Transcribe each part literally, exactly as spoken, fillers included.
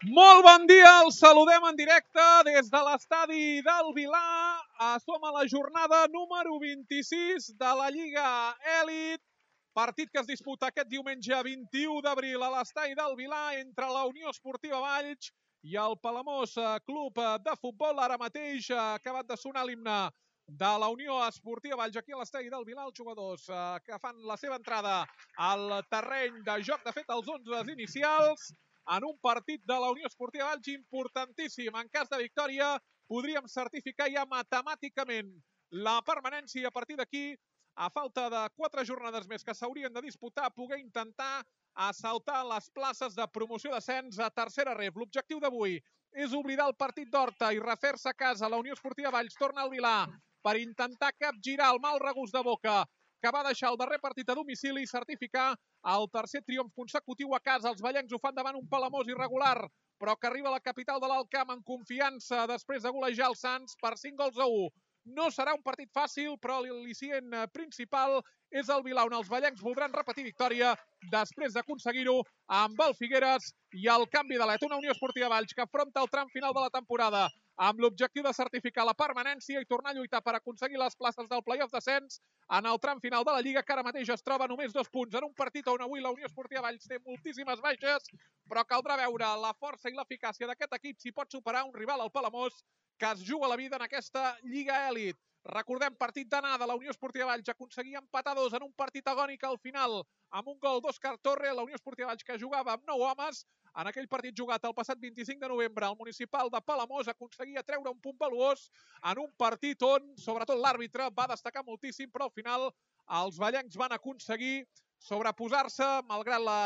Molt bon dia, els saludem en directe des de l'estadi del Vilar. Som a la jornada número vint-i-sis de la Lliga Elit. Partit que es disputa aquest diumenge vint-i-u d'abril a l'estadi del Vilar entre la Unió Esportiva Valls i el Palamós Club de Futbol. Ara mateix ha acabat de sonar l'himne de la Unió Esportiva Valls aquí a l'estadi del Vilar. Els jugadors que fan la seva entrada al terreny de joc, de fet els onzes inicials, en un partit de la Unió Esportiva Valls importantíssim. En cas de victòria podríem certificar ja matemàticament la permanència. A partir d'aquí, a falta de quatre jornades més que s'haurien de disputar, poder intentar assaltar les places de promoció d'ascens a tercera ref. L'objectiu d'avui és oblidar el partit d'Horta i refer-se a casa. La Unió Esportiva Valls torna al Vilar per intentar capgirar el mal regust de boca que va deixar el darrer partit a domicili i certificar el tercer triomf consecutiu a casa. Els vallencs ho fan davant un Palamós irregular, però que arriba a la capital de l'Alt Camp en confiança després de golejar els Sants per cinc gols a u. No serà un partit fàcil, però l'al·licient principal és el Vilar, on els vallencs voldran repetir victòria després d'aconseguir-ho amb el Figueres i el canvi d'alet. Una Unió Esportiva Valls que afronta el tram final de la temporada amb l'objectiu de certificar la permanència i tornar a lluitar per aconseguir les places del play-off d'ascens en el tram final de la Lliga, que ara mateix es troba només dos punts en un partit on avui la Unió Esportiva Valls té moltíssimes baixes, però caldrà veure la força i l'eficàcia d'aquest equip si pot superar un rival, el Palamós, que es juga la vida en aquesta Lliga Elit. Recordem, partit d'anada, la Unió Esportiva Valls aconseguia empatar dos en un partit agònic al final amb un gol d'Òscar Torre. La Unió Esportiva Valls, que jugava amb nou homes, en aquell partit jugat el passat vint-i-cinc de novembre al municipal de Palamós, aconseguia treure un punt valuós en un partit on, sobretot, l'àrbitre va destacar moltíssim, però al final els vallencs van aconseguir sobreposar-se malgrat la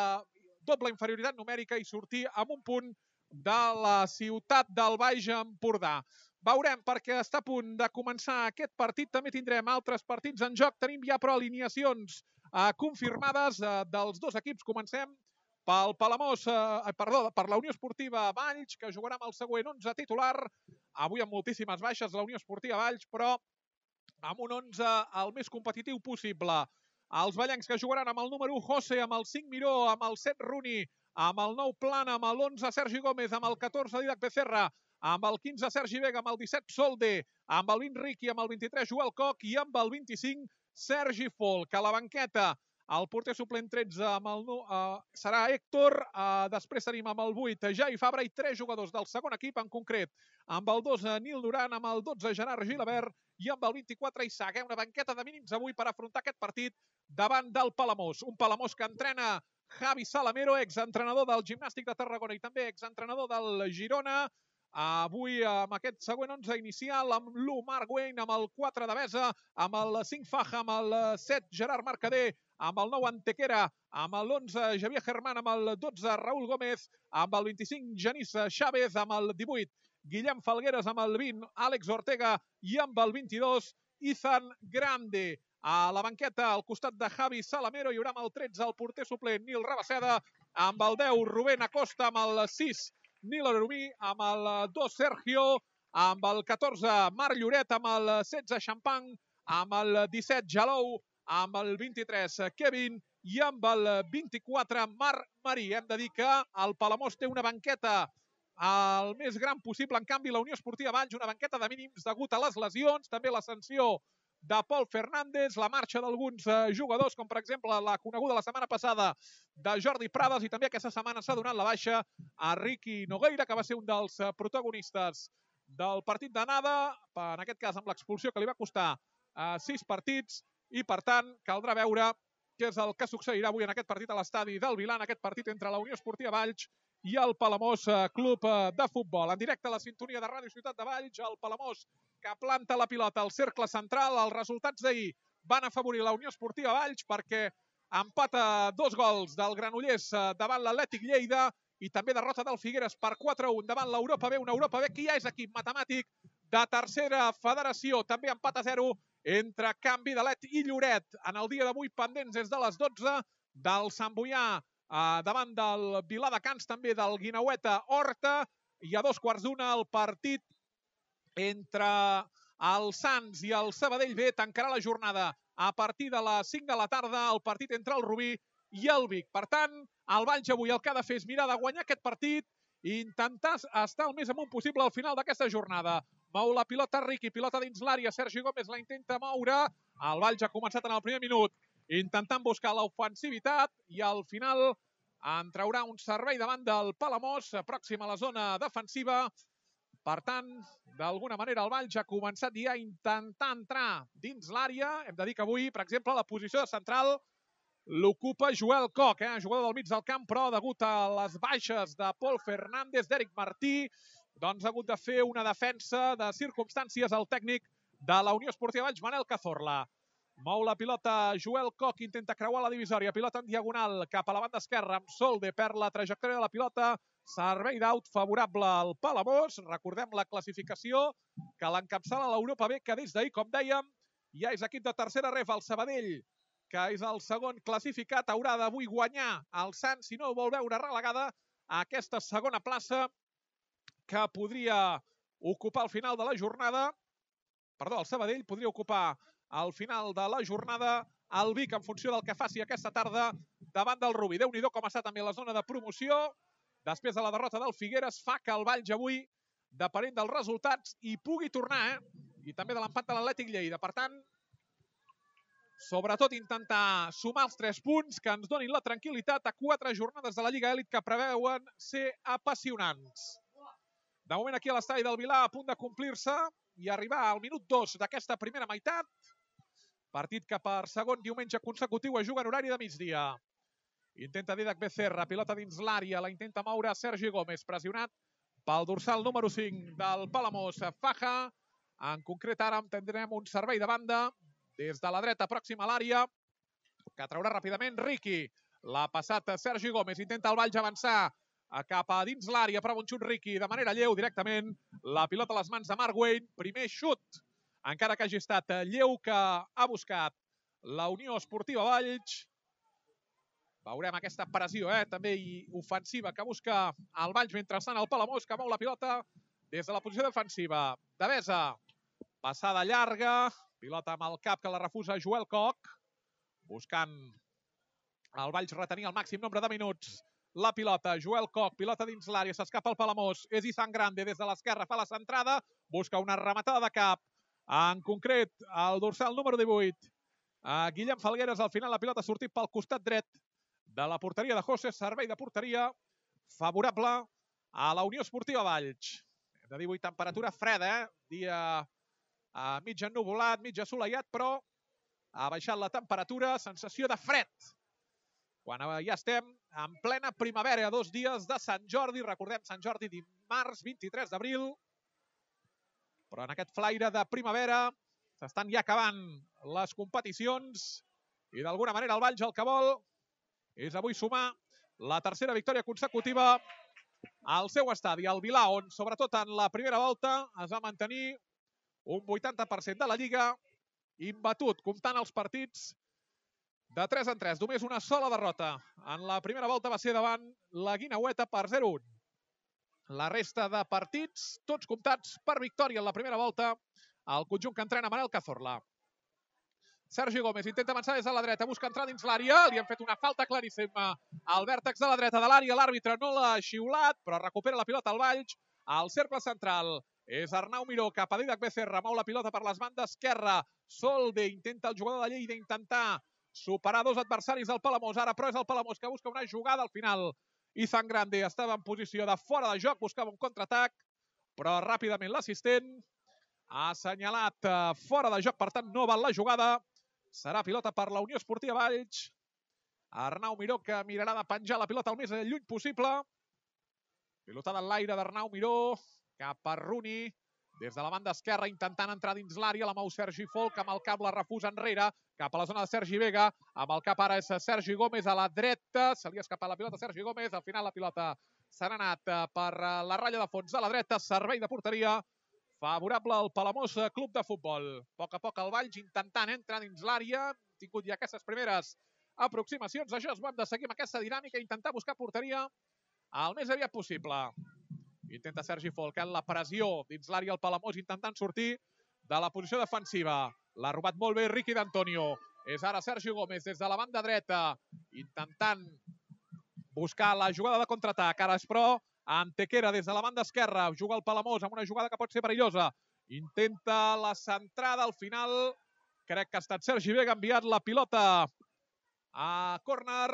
doble inferioritat numèrica i sortir amb un punt de la ciutat del Baix Empordà. Veurem, perquè està a punt de començar aquest partit. També tindrem altres partits en joc. Tenim ja però alineacions eh, confirmades eh, dels dos equips. Comencem pel Palamós, eh, perdó, per la Unió Esportiva Valls, que jugarà amb el següent onze titular. Avui amb moltíssimes baixes la Unió Esportiva Valls, però amb un onze el més competitiu possible. Els vallencs, que jugaran amb el número u José, amb el cinc Miró, amb el set Runi, amb el nou Plana, amb l'onze Sergi Gómez, amb el catorze Didac Becerra, amb el quinze Sergi Vega, amb el disset Solde, amb el vint Riqui, amb el vint-i-tres Joel Coc i amb el vint-i-cinc Sergi Folk. A la banqueta, el porter suplent tretze amb el, uh, serà Héctor, uh, després tenim amb el vuit Jai Fabra i tres jugadors del segon equip, en concret amb el dos Nil Duran, amb el dotze Gerard Gilabert i amb el vint-i-quatre Isaac. Una banqueta de mínims avui per afrontar aquest partit davant del Palamós. Un Palamós que entrena Javi Salamero, exentrenador del Gimnàstic de Tarragona i també exentrenador del Girona. Avui amb aquest següent onze inicial, amb l'u Marc Wayne, amb el quatre de Besa, amb el cinc Faja, amb el set Gerard Mercader, amb el nou Antequera, amb l'onze Javier Germán, amb el dotze Raúl Gómez, amb el vint-i-cinc Genís Chávez, amb el divuit Guillem Falgueres, amb el vint Àlex Ortega i amb el vint-i-dos Ethan Grande. A la banqueta, al costat de Javi Salamero, hi haurà amb el tretze el porter suplent Nil Rabaseda, amb el deu Rubén Acosta, amb el sis Nil Arumí, amb el dos Sergio, amb el catorze Marc Lloret, amb el setze Champang, amb el disset Jalou, amb el vint-i-tres Kevin i amb el vint-i-quatre Marc Marí. Hem de dir que el Palamós té una banqueta el més gran possible. En canvi, la Unió Esportiva Valls, una banqueta de mínims degut a les lesions, també la sanció de Pol Fernández, la marxa d'alguns jugadors, com per exemple la coneguda la setmana passada de Jordi Prades, i també aquesta setmana s'ha donat la baixa a Riqui Nogueira, que va ser un dels protagonistes del partit d'anada, en aquest cas amb l'expulsió que li va costar sis partits, i per tant caldrà veure què és el que succeirà avui en aquest partit a l'estadi del Vilar, en aquest partit entre la Unió Esportiva Valls i el Palamós Club de Futbol. En directe a la sintonia de Ràdio Ciutat de Valls, el Palamós que planta la pilota al cercle central. Els resultats d'ahir van afavorir la Unió Esportiva Valls perquè empata dos gols del Granollers davant l'Atlètic Lleida i també derrota del Figueres per quatre a un davant l'Europa B, una Europa B que ja és equip matemàtic de tercera federació. També empat a zero entre Canvi d'Alet i Lloret. En el dia d'avui pendents des de les dotze del Sant Boià Uh, davant del Vilar de Cans, també del Guinaueta Horta, i a dos quarts d'una el partit entre el Sants i el Sabadell B. Tancarà la jornada a partir de les cinc de la tarda, el partit entre el Rubí i el Vic. Per tant, el Valls avui el que ha de fer és mirar de guanyar aquest partit i intentar estar el més amunt possible al final d'aquesta jornada. Mou la pilota Riqui, pilota dins l'àrea, Sergi Gómez la intenta moure, el Valls ha començat en el primer minut intentant buscar l'ofensivitat i al final en traurà un servei davant del Palamós, pròxim a la zona defensiva. Per tant, d'alguna manera el Valls ha començat ja a intentar entrar dins l'àrea. Hem de dir que avui, per exemple, la posició de central l'ocupa Joel Koch, eh? jugador del mig del camp, però degut a les baixes de Pol Fernández, d'Eric Martí, doncs ha hagut de fer una defensa de circumstàncies al tècnic de la Unió Esportiva Valls, Manel Cazorla. Mou la pilota Joel Koch, intenta creuar la divisòria, pilota en diagonal cap a la banda esquerra amb Solde, perd la trajectòria de la pilota, servei d'aut favorable al Palamós. Recordem la classificació que l'encapçala l'Europa B, que des d'ahir, com dèiem, ja és equip de tercera ref, el Sabadell, que és el segon classificat, haurà d'avui guanyar el Sants si no vol veure relegada a aquesta segona plaça que podria ocupar al final de la jornada. Perdó, el Sabadell podria ocupar al final de la jornada el Vic en funció del que faci aquesta tarda davant del Rubí. Déu-n'hi-do com està també la zona de promoció. Després de la derrota del Figueres fa que el Valls avui, depenent dels resultats, hi pugui tornar, eh? I també de l'empat de l'Atlètic Lleida. Per tant, sobretot intentar sumar els tres punts que ens donin la tranquil·litat a quatre jornades de la Lliga Elit que preveuen ser apassionants. De moment aquí a l'estadi del Vilà a punt de complir-se i arribar al minut dos d'aquesta primera meitat. Partit que per segon diumenge consecutiu es juga en horari de migdia. Intenta Didac Becerra, pilota dins l'àrea, la intenta moure Sergi Gómez, pressionat pel dorsal número cinc del Palamós, Faja. En concret ara tindrem un servei de banda des de la dreta pròxima a l'àrea, que traurà ràpidament Riqui. L'ha passat Sergi Gómez, intenta el Valls avançar cap a dins l'àrea, però un xut Riqui de manera lleu directament. La pilota a les mans de Marc Wayne, primer xut, encara que hagi estat lleu, que ha buscat la Unió Esportiva Valls. Veurem aquesta pressió, eh, també i ofensiva que busca el Valls, mentrestant el Palamós, que mou la pilota des de la posició defensiva. Devesa, passada llarga, pilota amb el cap que la refusa Joel Koch, buscant el Valls retenir el màxim nombre de minuts. La pilota, Joel Koch, pilota dins l'àrea, s'escapa el Palamós, és Izan Grande des de l'esquerra, fa la centrada, busca una rematada de cap, en concret el dorsal número divuit. Guillem Falgueres, al final la pilota ha sortit pel costat dret de la porteria de José, servei de porteria favorable a la Unió Esportiva Valls. Hem de dir avui temperatura freda, eh? Dia mig ennuvolat, mig assolellat, però ha baixat la temperatura, sensació de fred. Quan ja estem en plena primavera, a dos dies de Sant Jordi, recordem Sant Jordi dimarts vint-i-tres d'abril, però en aquest flaire de primavera s'estan ja acabant les competicions i d'alguna manera el Valls el que vol és avui sumar la tercera victòria consecutiva al seu estadi, al Vilà, on sobretot en la primera volta es va mantenir un vuitanta per cent de la Lliga imbatut, comptant els partits de tres en tres. Només una sola derrota. En la primera volta va ser davant la Guineueta per zero a un. La resta de partits, tots comptats per victòria en la primera volta, el conjunt que entrena Manel Cazorla. Sergi Gómez intenta avançar des de la dreta, busca entrar dins l'àrea, li han fet una falta claríssima al vèrtex de la dreta de l'àrea, l'àrbitre no l'ha xiulat, però recupera la pilota al Valls, al cercle central. És Arnau Miró, cap a Didac Becerra, mou la pilota per les bandes esquerra. Solde intenta el jugador de Lleida intentar superar dos adversaris del Palamós. Ara però és el Palamós que busca una jugada al final. Izan Grande estava en posició de fora de joc, buscava un contraatac, però ràpidament l'assistent ha assenyalat fora de joc, per tant no val la jugada. Serà pilota per la Unió Esportiva Valls. Arnau Miró, que mirarà de penjar la pilota el més lluny possible. Pilotada en l'aire d'Arnau Miró cap a Runi, des de la banda esquerra intentant entrar dins l'àrea, la mou Sergi Folk, amb el cap la refusa enrere, cap a la zona de Sergi Vega, amb el cap ara és Sergi Gómez a la dreta, se li ha escapat la pilota a Sergi Gómez, al final la pilota s'ha anat per la ratlla de fons de la dreta, servei de porteria favorable al Palamós Club de Futbol. A poc a poc el Valls intentant entrar dins l'àrea, hem tingut ja aquestes primeres aproximacions, això és bo, hem de seguir amb aquesta dinàmica, intentar buscar porteria el més aviat possible. Intenta Sergi Folk, la pressió dins l'àrea al Palamós, intentant sortir de la posició defensiva. L'ha robat molt bé Riqui d'Antonio. És ara Sergi Gómez des de la banda dreta, intentant buscar la jugada de contraatac. Ara és però Antequera des de la banda esquerra, juga el Palamós amb una jugada que pot ser perillosa. Intenta la centrada, al final crec que ha estat Sergi Vega, ha enviat la pilota a córner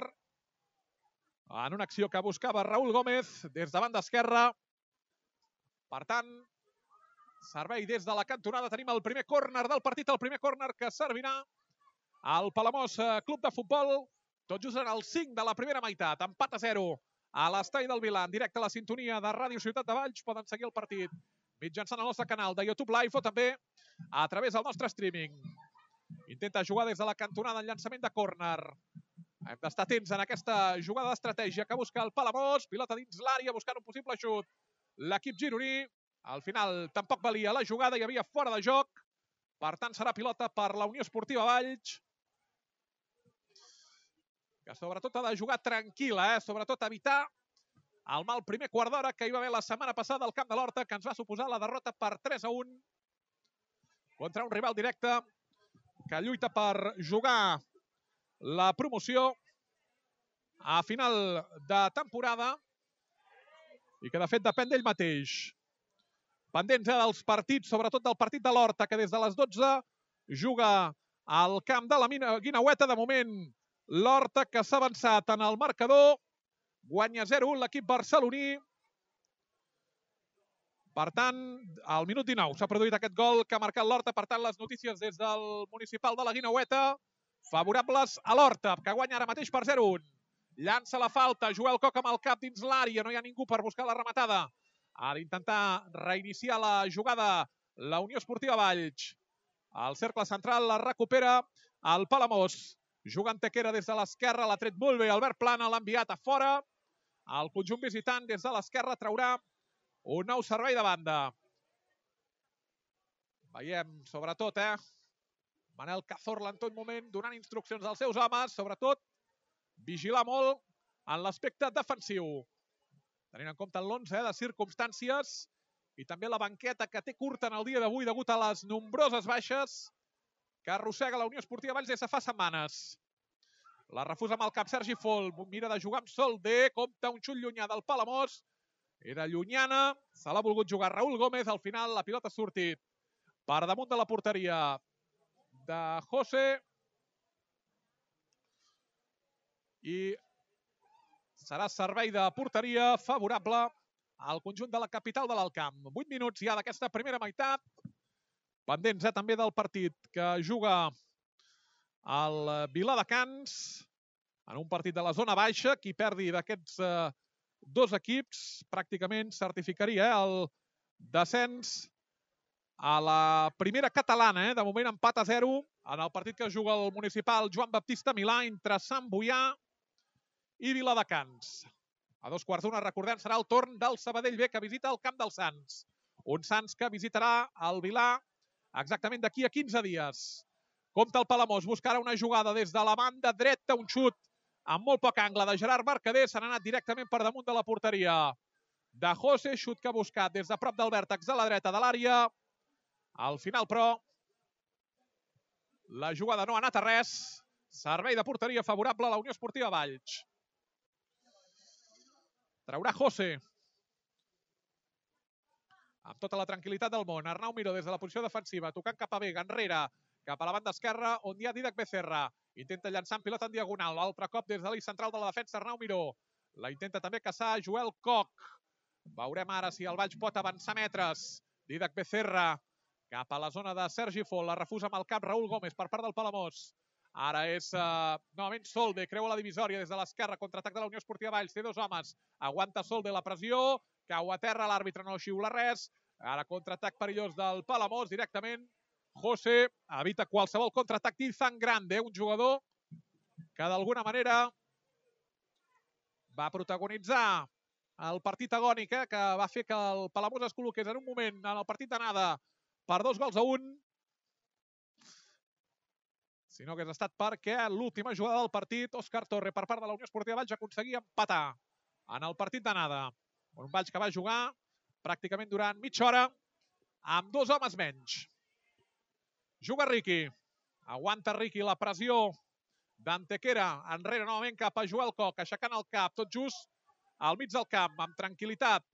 en una acció que buscava Raúl Gómez des de banda esquerra. Per tant, servei des de la cantonada. Tenim el primer córner del partit, el primer córner que servirà al Palamós Club de Futbol. Tot just en el cinc de la primera meitat. Empat a zero a l'estadi del Vilà, en directe a la sintonia de Ràdio Ciutat de Valls. Poden seguir el partit mitjançant el nostre canal de YouTube Live o també a través del nostre streaming. Intenta jugar des de la cantonada en llançament de córner. Hem d'estar atents en aquesta jugada d'estratègia que busca el Palamós. Pilota dins l'àrea buscant un possible xut. L'equip gironí. Al final tampoc valia la jugada, hi havia fora de joc. Per tant, serà pilota per la Unió Esportiva Valls, que sobretot ha de jugar tranquil·la, eh? Sobretot evitar el mal primer quart d'hora que hi va haver la setmana passada al Camp de l'Horta, que ens va suposar la derrota per tres a un contra un rival directe que lluita per jugar la promoció a final de temporada i que de fet depèn d'ell mateix. Pendents dels partits, sobretot del partit de l'Horta, que des de les dotze juga al camp de la Guineueta. De moment, l'Horta que s'ha avançat en el marcador. Guanya zero a un l'equip barceloní. Per tant, al minut dinou s'ha produït aquest gol que ha marcat l'Horta. Per tant, les notícies des del municipal de la Guineueta favorables a l'Horta, que guanya ara mateix per zero a un. Llança la falta, Joel Coc amb el cap dins l'àrea, no hi ha ningú per buscar la rematada. Ha d'intentar reiniciar la jugada la Unió Esportiva Valls. El cercle central la recupera el Palamós. Juga Antequera des de l'esquerra, l'ha tret molt bé Albert Plana, l'ha enviat a fora. El conjunt visitant des de l'esquerra traurà un nou servei de banda. Veiem, sobretot, eh, Manel Cazorla en tot moment donant instruccions als seus homes, sobretot vigilar molt en l'aspecte defensiu. Tenint en compte l'onze eh, de circumstàncies i també la banqueta que té curta en el dia d'avui degut a les nombroses baixes que arrossega la Unió Esportiva Valls des de fa setmanes. La refusa amb el cap Sergi Fol, mira de jugar amb Solder, compta un xut llunyà del Palamós. Era llunyana, se l'ha volgut jugar Raúl Gómez, al final la pilota ha sortit per damunt de la porteria de José. I serà servei de porteria favorable al conjunt de la capital de l'Alt Camp. vuit minuts ja d'aquesta primera meitat. Pendents eh, també del partit que juga el Viladecans en un partit de la zona baixa. Qui perdi d'aquests eh, dos equips pràcticament certificaria eh, el descens a la primera catalana. Eh? De moment empat a zero en el partit que juga el municipal Joan Baptista Milà entre Sant Boià i Viladecans. A dos quarts d'una, recordem, serà el torn del Sabadell B, que visita el Camp dels Sants. Un Sants que visitarà el Vilà exactament d'aquí a quinze dies. Compte el Palamós, buscarà una jugada des de la banda dreta, un xut amb molt poc angle de Gerard Mercader, s'ha anat directament per damunt de la porteria de José, xut que ha buscat des de prop del vèrtex de la dreta de l'àrea. Al final, però, la jugada no ha anat a res. Servei de porteria favorable a la Unió Esportiva Valls. Traurà José. Amb tota la tranquil·litat del món. Arnau Miró des de la posició defensiva, tocant cap a Vega, enrere, cap a la banda esquerra, on hi ha Dídac Becerra. Intenta llançar en pilota en diagonal. L'altre cop des de l'eix central de la defensa, Arnau Miró. La intenta també caçar Joel Coc. Veurem ara si el Valls pot avançar metres. Dídac Becerra cap a la zona de Sergi Fol. La refusa amb el cap Raúl Gómez per part del Palamós. Ara és uh, novament Solde, creua la divisòria des de l'esquerra, contraatac de la Unió Esportiva Valls, té dos homes, aguanta Solde la pressió, cau a terra, l'àrbitre no xiula res, ara contraatac perillós del Palamós, directament José evita qualsevol contraatac d'Izan Grande, un jugador que d'alguna manera va protagonitzar el partit agònic, eh, que va fer que el Palamós es col·loqués en un moment en el partit d'anada per dos gols a un, si no hagués estat perquè l'última jugada del partit, Òscar Torre, per part de la Unió Esportiva Valls, aconseguia empatar en el partit d'anada. Un Valls que va jugar pràcticament durant mitja hora amb dos homes menys. Juga Riqui. Aguanta Riqui la pressió d'Antequera. Enrere novament cap a Joel Coc, aixecant el cap, tot just al mig del camp, amb tranquil·litat,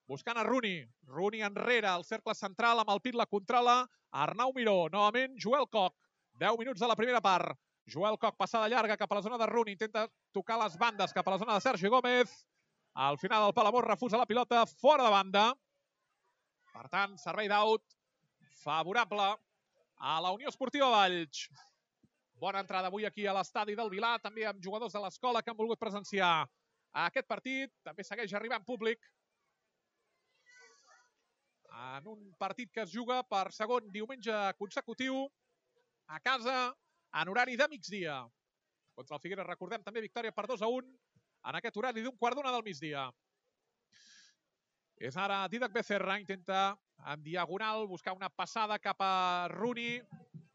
buscant a Rooney. Rooney enrere, al cercle central, amb el pit la controla. Arnau Miró, novament Joel Koch. deu minuts de la primera part. Joel Koch, passada llarga cap a la zona de Rooney, intenta tocar les bandes cap a la zona de Sergi Gómez. Al final el Palamós refusa la pilota fora de banda. Per tant, servei d'out favorable a la Unió Esportiva Valls. Bona entrada avui aquí a l'estadi del Vilar, també amb jugadors de l'escola que han volgut presenciar aquest partit. També segueix arribant públic en un partit que es juga per segon diumenge consecutiu a casa en horari de migdia. Contra el Figueres, recordem també victòria per dos a un en aquest horari d'un quart d'una del migdia. És ara Didac Becerra, intenta en diagonal buscar una passada cap a Rooney.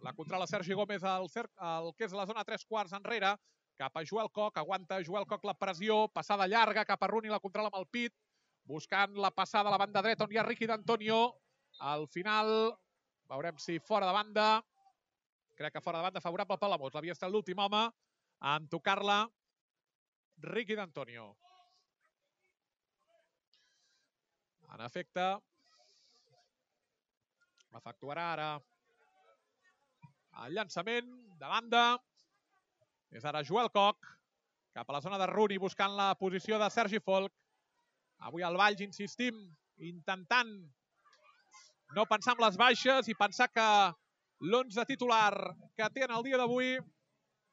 La controla Sergi Gómez al el que és la zona tres quarts enrere, cap a Joel Koch, aguanta Joel Koch la pressió, passada llarga cap a Rooney, la controla amb el pit, buscant la passada a la banda dreta on hi ha Ricky D'Antonio. Al final, veurem si fora de banda, crec que fora de banda favorable al Palamós. L'havia estat l'últim home en tocar-la Ricky D'Antonio. En efecte, efectuarà ara el llançament de banda. És ara Joel Koch cap a la zona de Rooney buscant la posició de Sergi Folch. Avui al Valls, insistim, intentant no pensar en les baixes i pensar que l'onze titular que té en el dia d'avui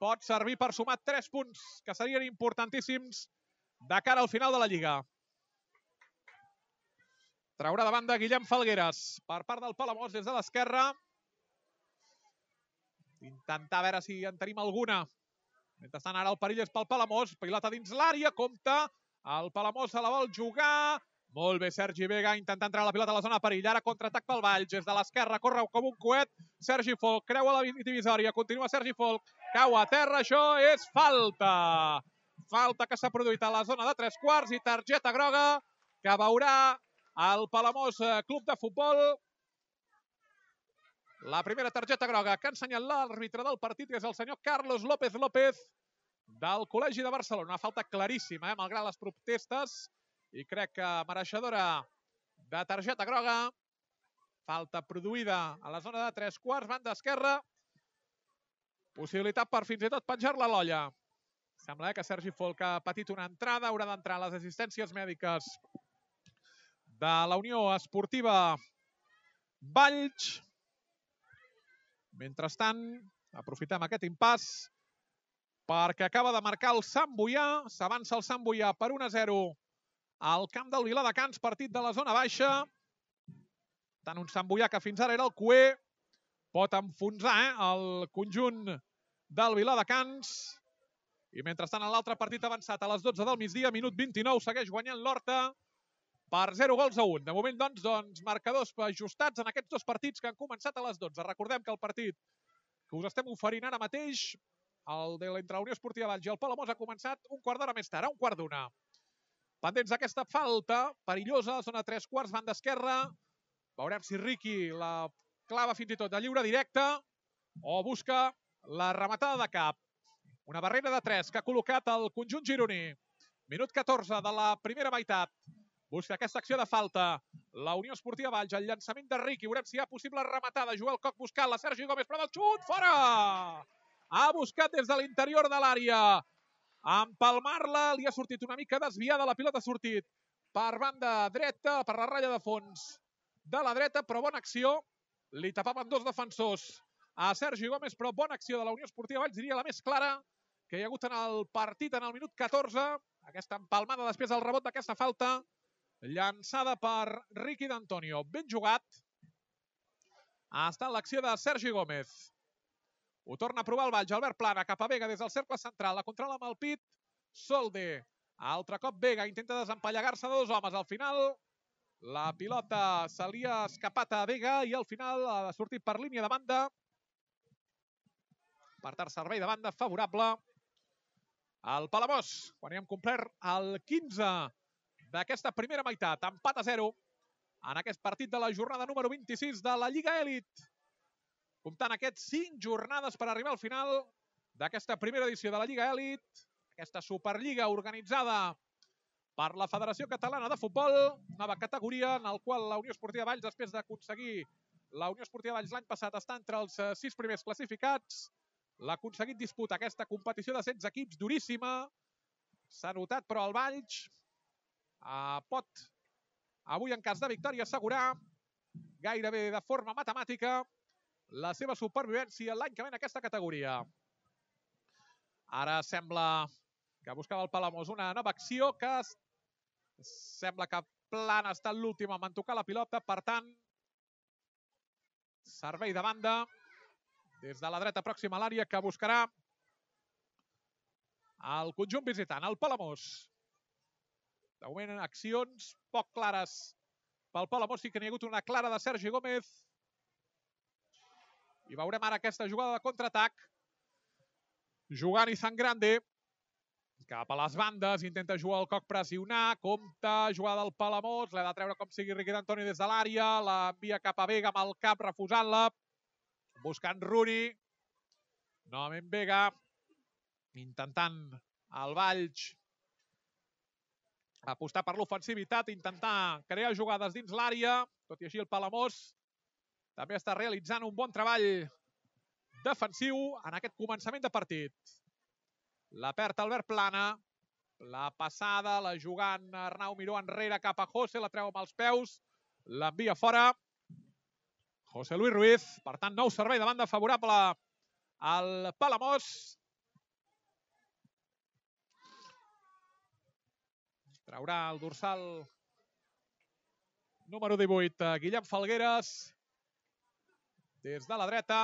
pot servir per sumar tres punts que serien importantíssims de cara al final de la Lliga. Traurà de banda Guillem Falgueres per part del Palamós des de l'esquerra. Intentar veure si en tenim alguna. Mentrestant ara el perill és pel Palamós. Pilota dins l'àrea, compta. El Palamós se la vol jugar. Molt bé Sergi Vega, intenta entrar a la pilota a la zona de perill. Ara contraatac pel Valls, des de l'esquerra, corre com un coet. Sergi Folch, creua la divisòria, continua Sergi Folch, cau a terra, això és falta. Falta que s'ha produït a la zona de tres quarts i targeta groga que veurà el Palamós Club de Futbol. La primera targeta groga que ha ensenyat l'àrbitre del partit, que és el senyor Carlos López López, del Col·legi de Barcelona. Una falta claríssima, eh, malgrat les protestes, i crec que mereixedora de targeta groga. Falta produïda a la zona de tres quarts, banda esquerra. Possibilitat per fins i tot penjar-la a l'olla. Sembla eh, que Sergi Folch ha patit una entrada, haurà d'entrar a les assistències mèdiques de la Unió Esportiva Valls. Mentrestant, aprofitem aquest impàs perquè acaba de marcar el Sant Boià. S'avança el Sant Boià per un a zero al camp del Viladecans, partit de la zona baixa. Tant un Sant Boià que fins ara era el cuer, pot enfonsar eh, el conjunt del Viladecans. I mentrestant, en l'altre partit avançat a les dotze del migdia, minut vint-i-nou, segueix guanyant l'Horta per zero gols a un. De moment, doncs, doncs, marcadors ajustats en aquests dos partits que han començat a les dotze. Recordem que el partit que us estem oferint ara mateix, el de l'entre la Unió Esportiva Valls i el Palamós, ha començat un quart d'hora més tard, a un quart d'una. Pendents d'aquesta falta perillosa, zona tres quarts, banda esquerra. Veurem si Ricky la clava fins i tot de lliure directe o busca la rematada de cap. Una barrera de tres que ha col·locat el conjunt gironí. Minut catorze de la primera meitat. Busca aquesta acció de falta la Unió Esportiva Valls, el llançament de Ricky. Veurem si hi ha possible rematada. Joel Koch buscant-la, Sergi Gómez, prova el xut, fora! Ha buscat des de l'interior de l'àrea empalmar-la, li ha sortit una mica desviada, la pilota ha sortit per banda dreta, per la ratlla de fons de la dreta, però bona acció. Li tapaven dos defensors a Sergi Gómez, però bona acció de la Unió Esportiva Valls, diria la més clara que hi ha hagut en el partit en el minut catorze. Aquesta empalmada després del rebot d'aquesta falta, llançada per Ricky D'Antonio. Ben jugat. Ha estat l'acció de Sergi Gómez. Ho torna a provar el Valls. Albert Plana cap a Vega des del cercle central. La controla amb el pit. Solde. Altre cop Vega intenta desempallegar-se de dos homes. Al final la pilota se li ha escapat a Vega i al final ha sortit per línia de banda. Per tant, servei de banda favorable al Palamós, quan hi hem complert el quinze d'aquesta primera meitat. Empat a zero en aquest partit de la jornada número vint-i-sis de la Lliga Elit. Comptant aquests cinc jornades per arribar al final d'aquesta primera edició de la Lliga Elit, aquesta Superliga organitzada per la Federació Catalana de Futbol, nova categoria en la qual la Unió Esportiva Valls, després d'aconseguir la Unió Esportiva Valls l'any passat està entre els sis primers classificats, l'ha aconseguit disputar aquesta competició de setze equips duríssima. S'ha notat, però el Valls eh, pot, avui en cas de victòria, assegurar gairebé de forma matemàtica la seva supervivència l'any que ve en aquesta categoria. Ara sembla que buscava el Palamós una nova acció que sembla que Plana ha estat l'últim en tocar la pilota, per tant, servei de banda des de la dreta pròxima a l'àrea que buscarà el conjunt visitant, el Palamós. De moment, accions poc clares pel Palamós, sí que n'hi ha hagut una clara de Sergi Gómez. I veurem ara aquesta jugada de contraatac. Jugant Izan Grande cap a les bandes, intenta jugar el Coc pressionar, compta, jugada del Palamós, l'ha de treure com sigui Riqui d'Antoni des de l'àrea, l'envia cap a Vega amb el cap, refusant-la, buscant Rooney, novament Vega, intentant el Valls apostar per l'ofensivitat, intentar crear jugades dins l'àrea, tot i així el Palamós també està realitzant un bon treball defensiu en aquest començament de partit. La perd Albert Plana, la passada, la jugant Arnau Miró enrere cap a José, la treu amb els peus, l'envia fora José Luis Ruiz, per tant nou servei de banda favorable al Palamós. Traurà el dorsal número divuit, Guillem Falgueres, des de la dreta.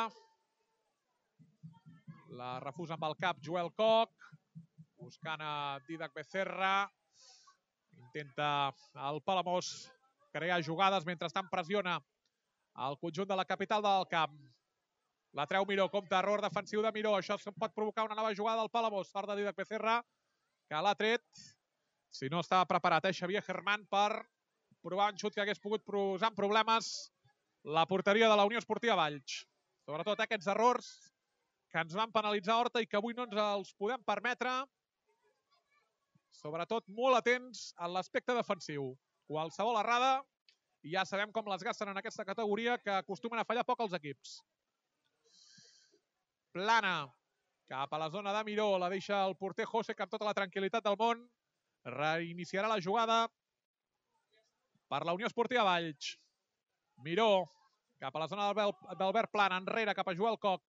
La refusa amb el cap Joel Coc, buscant a Didac Becerra. Intenta el Palamós crear jugades, mentrestant pressiona el conjunt de la capital del camp. La treu Miró, compte, error defensiu de Miró. Això pot provocar una nova jugada del Palamós. Sort de Didac Becerra, que l'ha tret. Si no estava preparat, eh, Xavier Germán, per provar un xut que hagués pogut posar en problemes la porteria de la Unió Esportiva Valls. Sobretot aquests errors que ens van penalitzar Horta i que avui no ens els podem permetre. Sobretot molt atents en l'aspecte defensiu. Qualsevol errada, i ja sabem com les gasten en aquesta categoria, que acostumen a fallar poc els equips. Plana, cap a la zona de Miró, la deixa el porter José, que amb tota la tranquil·litat del món reiniciarà la jugada per la Unió Esportiva Valls. Miró, cap a la zona d'Albert Plana, enrere cap a Joel Coc,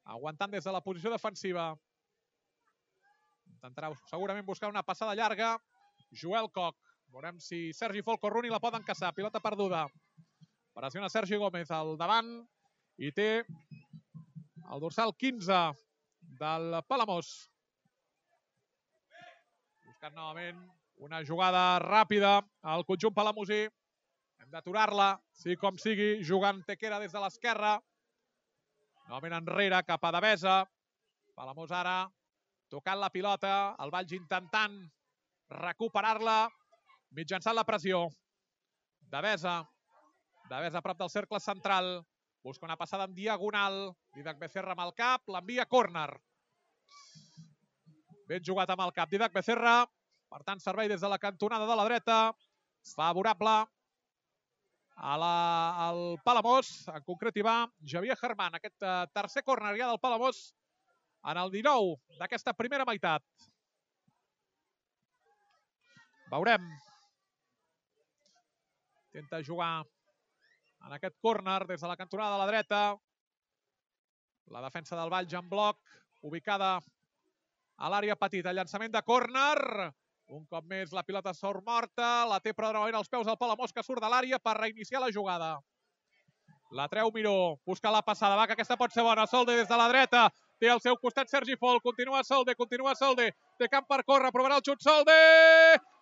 aguantant des de la posició defensiva. Intentarà segurament buscar una passada llarga. Joel Coc. Veurem si Sergi Folk o Rooney la poden caçar. Pilota perduda. Pressiona Sergi Gómez al davant i té el dorsal quinze del Palamós. Buscant novament una jugada ràpida al conjunt palamosí. Hem d'aturar-la, sigui com sigui, jugant Tequera des de l'esquerra. Novament enrere, cap a Devesa. Palamós ara tocant la pilota. El Valls intentant recuperar-la mitjançant la pressió. Devesa. Devesa a prop del cercle central. Busca una passada en diagonal. Didac Becerra amb el cap. L'envia a córner. Ben jugat amb el cap Didac Becerra. Per tant, servei des de la cantonada de la dreta. Favorable al Palamós. En concret hi va Xavier Germán. Aquest tercer córner ja del Palamós en el dinou d'aquesta primera meitat. Veurem. Intenta jugar en aquest córner des de la cantonada de la dreta. La defensa del Valls en bloc, ubicada a l'àrea petita. Llançament de córner. Un cop més la pilota sort morta. La té però novament als peus del Palamós, que surt de l'àrea per reiniciar la jugada. La treu Miró. Busca la passada. Va, que aquesta pot ser bona. Solde des de la dreta. Té al seu costat Sergi Folk. Continua Solde. Continua Solde. Té camp per córrer. Provarà el xut Solde.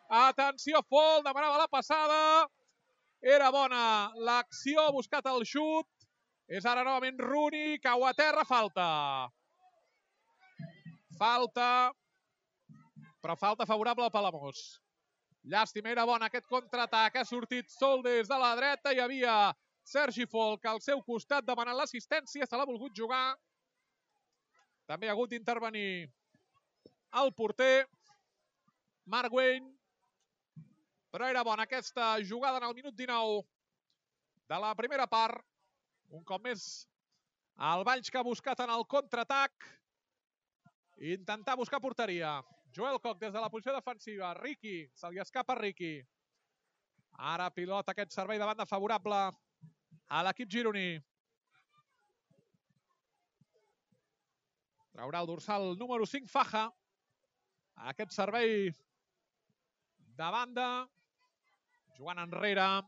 Atenció, Folk. Demanava la passada. Era bona l'acció. Ha buscat el xut. És ara novament Rooney. Cau a terra. Falta. Falta. Però falta favorable al Palamós. Llàstima, era bon aquest contraatac. Ha sortit Solde des de la dreta. Hi havia Sergi Folk al seu costat demanant l'assistència. Se l'ha volgut jugar. També ha hagut d'intervenir el porter Marc Wayne. però era bona aquesta jugada en el minut dinou de la primera part. Un cop més, el Valls que ha buscat en el contraatac. Intentar buscar porteria. Joel Koch des de la posició defensiva. Riqui, se li escapa Riqui. Ara pilota aquest servei de banda favorable a l'equip gironí. Traurà el dorsal número cinc, Faja. Aquest servei de banda. Jugant enrere.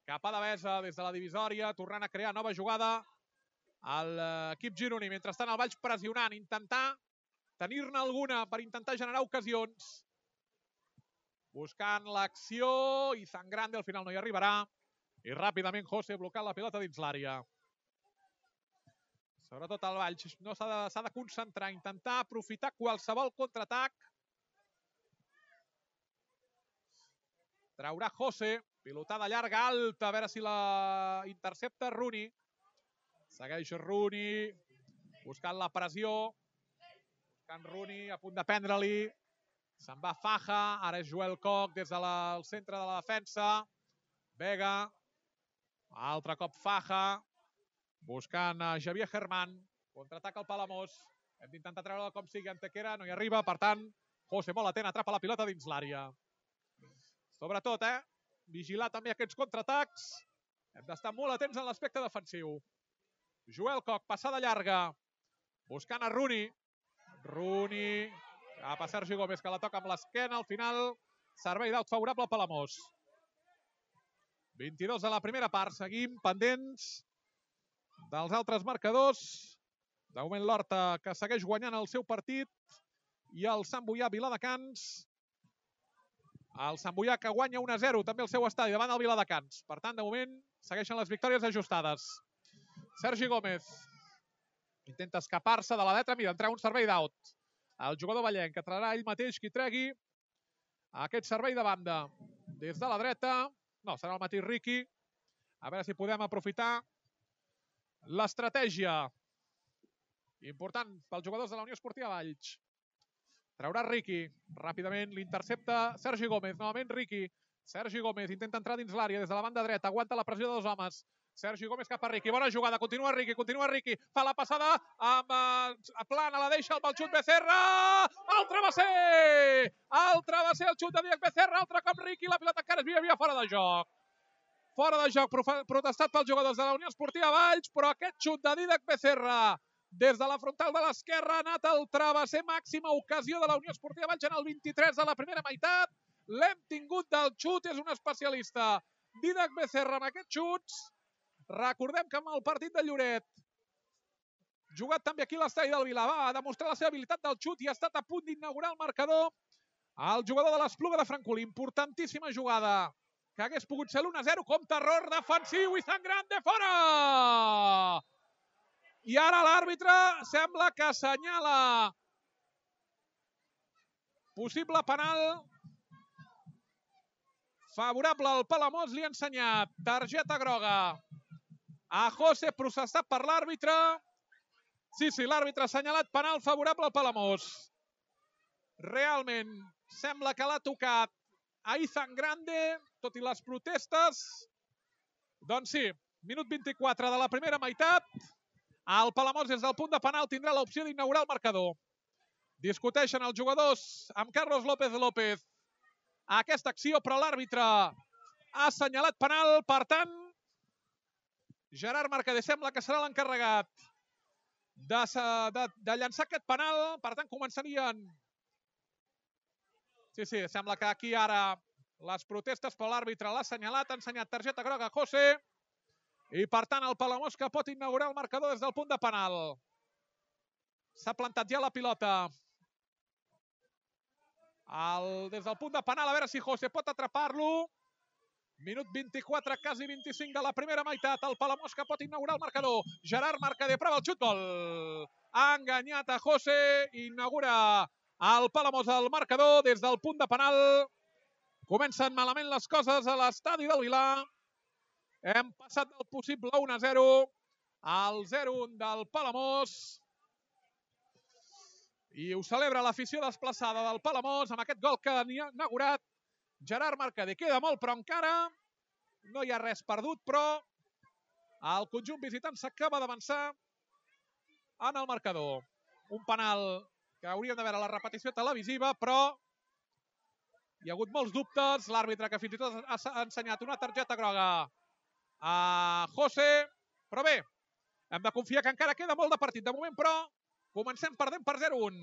Cap a Devesa des de la divisòria. Tornant a crear nova jugada a l'equip gironí. Mentrestant el Valls pressionant. Intentar tenir-ne alguna per intentar generar ocasions. Buscant l'acció. I Zangrande al final no hi arribarà. I ràpidament José blocant la pilota dins l'àrea. Sobretot el Valls no s'ha de, s'ha de concentrar, intentar aprofitar qualsevol contraatac. Traurà José, pilotada llarga, alta, a veure si la intercepta Rooney. Segueix Rooney, buscant la pressió. Buscant Rooney, a punt de prendre-li. Se'n va Faja, ara és Joel Koch des del centre de la defensa. Vega, altre cop Faja. Buscant a Javier Germán. Contraataca el Palamós. Hem d'intentar treure-la com sigui. Antequera no hi arriba. Per tant, José molt atent. Atrapa la pilota dins l'àrea. Sobretot, eh? Vigilar també aquests contraatacs. Hem d'estar molt atents en l'aspecte defensiu. Joel Koch, passada llarga. Buscant a Rooney. Rooney. Cap a Sergi Gómez, que la toca amb l'esquena. Al final, servei d'aut favorable al Palamós. vint-i-dos de la primera part. Seguim pendents dels altres marcadors. De moment l'Horta, que segueix guanyant el seu partit, i el Sant Boià Viladecans. El Sant Boià que guanya un a zero també el seu estadi davant del Viladecans. Per tant, de moment, segueixen les victòries ajustades. Sergi Gómez intenta escapar-se de la letra. Mira, entrar un servei d'aut. El jugador vallenc, que traurà ell mateix qui tregui aquest servei de banda. Des de la dreta, no, serà el mateix Riqui. A veure si podem aprofitar l'estratègia important pels jugadors de la Unió Esportiva Valls. Traurà Riqui. Ràpidament l'intercepta Sergi Gómez. Novament Riqui. Sergi Gómez intenta entrar dins l'àrea des de la banda dreta. Aguanta la pressió de dos homes. Sergi Gómez cap a Riqui. Bona jugada. Continua Riqui. Continua Riqui. Fa la passada amb uh, plana. La deixa amb el xut Becerra. El travesser! El travesser, el xut de Díaz Becerra. Altre cop Riqui. La pilota encara es havia fora de joc. Fora de joc, protestat pels jugadors de la Unió Esportiva Valls, però aquest xut de Dídac Becerra des de la frontal de l'esquerra ha anat al travesser. Màxima ocasió de la Unió Esportiva Valls en el vint-i-tres de la primera meitat. L'hem tingut del xut, és un especialista. Dídac Becerra amb aquests xuts. Recordem que amb el partit de Lloret, jugat també aquí a l'estadi del Vilà, va demostrar la seva habilitat del xut i ha estat a punt d'inaugurar el marcador. El jugador de l'Espluga de Francolí, importantíssima jugada, que hagués pogut ser l'u a zero, com terror defensiu i Zangrande fora! I ara l'àrbitre sembla que assenyala possible penal favorable al Palamós. Li ha ensenyat targeta groga a José, processat per l'àrbitre. Sí, sí, l'àrbitre ha assenyalat penal favorable al Palamós. Realment sembla que l'ha tocat a Zangrande, tot i les protestes. Doncs sí, minut vint-i-quatre de la primera meitat. El Palamós des del punt de penal tindrà l'opció d'inaugurar el marcador. Discuteixen els jugadors amb Carlos López López aquesta acció, però l'àrbitre ha assenyalat penal. Per tant, Gerard Mercader sembla que serà l'encarregat de, de, de llançar aquest penal. Per tant, començarien... Sí, sí, sembla que aquí ara les protestes, però l'àrbitre l'ha assenyalat, ha ensenyat targeta groga a José, i per tant el Palamós que pot inaugurar el marcador des del punt de penal. S'ha plantat ja la pilota el, des del punt de penal, a veure si José pot atrapar-lo. Minut vint-i-quatre, quasi vint-i-cinc de la primera meitat. El Palamós que pot inaugurar el marcador. Gerard Mercader, prova el xut, gol. Ha enganyat a José, inaugura el Palamós al marcador des del punt de penal. Comencen malament les coses a l'estadi del Vilà. Hem passat del possible u a zero al zero a un del Palamós. I ho celebra l'afició desplaçada del Palamós amb aquest gol que ha inaugurat Gerard Mercader. Queda molt, però encara no hi ha res perdut, però el conjunt visitant s'acaba d'avançar en el marcador. Un penal que hauríem de veure la repetició televisiva, però hi ha hagut molts dubtes. L'àrbitre que fins i tot ha ensenyat una targeta groga a José. Però bé, hem de confiar que encara queda molt de partit. De moment, però, comencem perdent per zero un.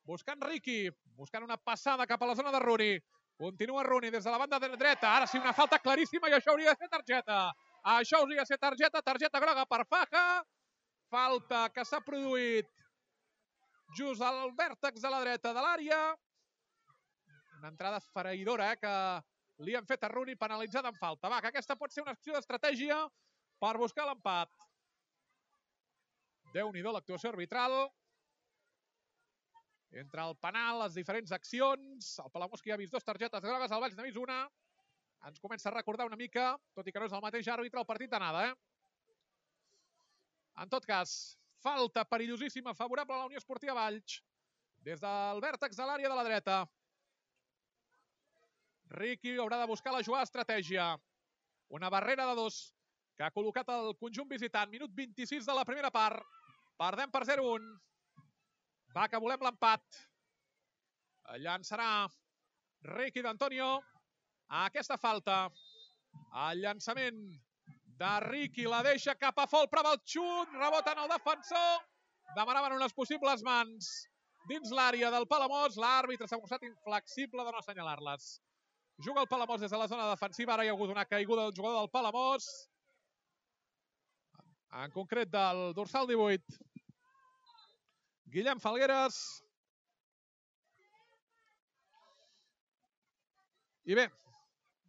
Buscant Riqui, buscant una passada cap a la zona de Rooney. Continua Rooney des de la banda dreta. Ara sí, una falta claríssima i això hauria de ser targeta. Això hauria de ser targeta, targeta groga per Faja. Falta que s'ha produït just al vèrtex de la dreta de l'àrea. Una entrada esfereïdora, eh, que li han fet a Rooney, penalitzada en falta. Va, que aquesta pot ser una acció d'estratègia per buscar l'empat. Déu-n'hi-do l'actuació arbitral. Entre el penal, les diferents accions, el Palamós que ja ha vist dues targetes grogues, el Valls n'ha vist una. Ens comença a recordar una mica, tot i que no és el mateix àrbitre, el partit d'anada, eh? En tot cas, falta perillosíssima, favorable a la Unió Esportiva Valls, des del vèrtex de l'àrea de la dreta. Riqui haurà de buscar la jugada estratègia. Una barrera de dos que ha col·locat el conjunt visitant. Minut vint-i-sis de la primera part. Perdem per zero un. Va, que volem l'empat. Llançarà Riqui d'Antonio a aquesta falta. El llançament de Riqui la deixa cap a Fol, prova el xut, rebota en el defensor. Demanaven unes possibles mans dins l'àrea del Palamós. L'àrbitre s'ha mostrat inflexible de no assenyalar-les. Juga el Palamós des de la zona defensiva. Ara hi ha hagut una caiguda del jugador del Palamós. En concret del dorsal divuit. Guillem Falgueres. I bé,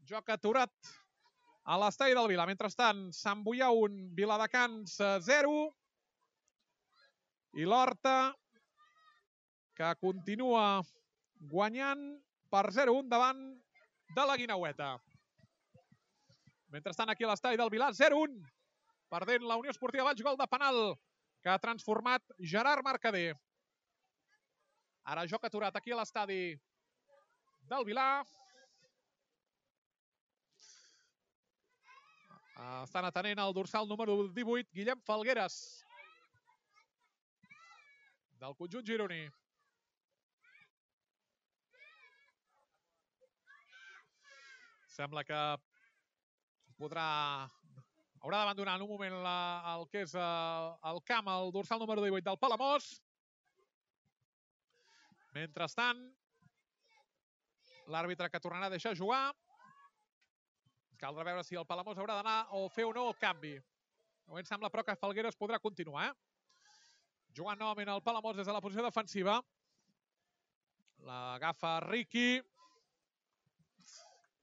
joc aturat a l'estadi del Vila. Mentrestant, Sant Boià un, Viladecans zero. I l'Horta, que continua guanyant per zero un davant de la Guineueta. Mentrestant, aquí a l'estadi del Vila, zero un. Perdent la Unió Esportiva Valls, gol de penal que ha transformat Gerard Mercader. Ara joc aturat aquí a l'estadi del Vila. Estan atenent el dorsal número divuit, Guillem Falgueres, del conjunt gironí. Sembla que podrà... haurà d'abandonar en un moment la, el que és uh, el camp, el dorsal número divuit del Palamós. Mentrestant, l'àrbitre que tornarà a deixar jugar. Caldrà veure si el Palamós haurà d'anar o fer o no el canvi. De moment sembla, però, que Falgueres podrà continuar. Eh? Jugant novament el Palamós des de la posició defensiva. L'agafa Riqui.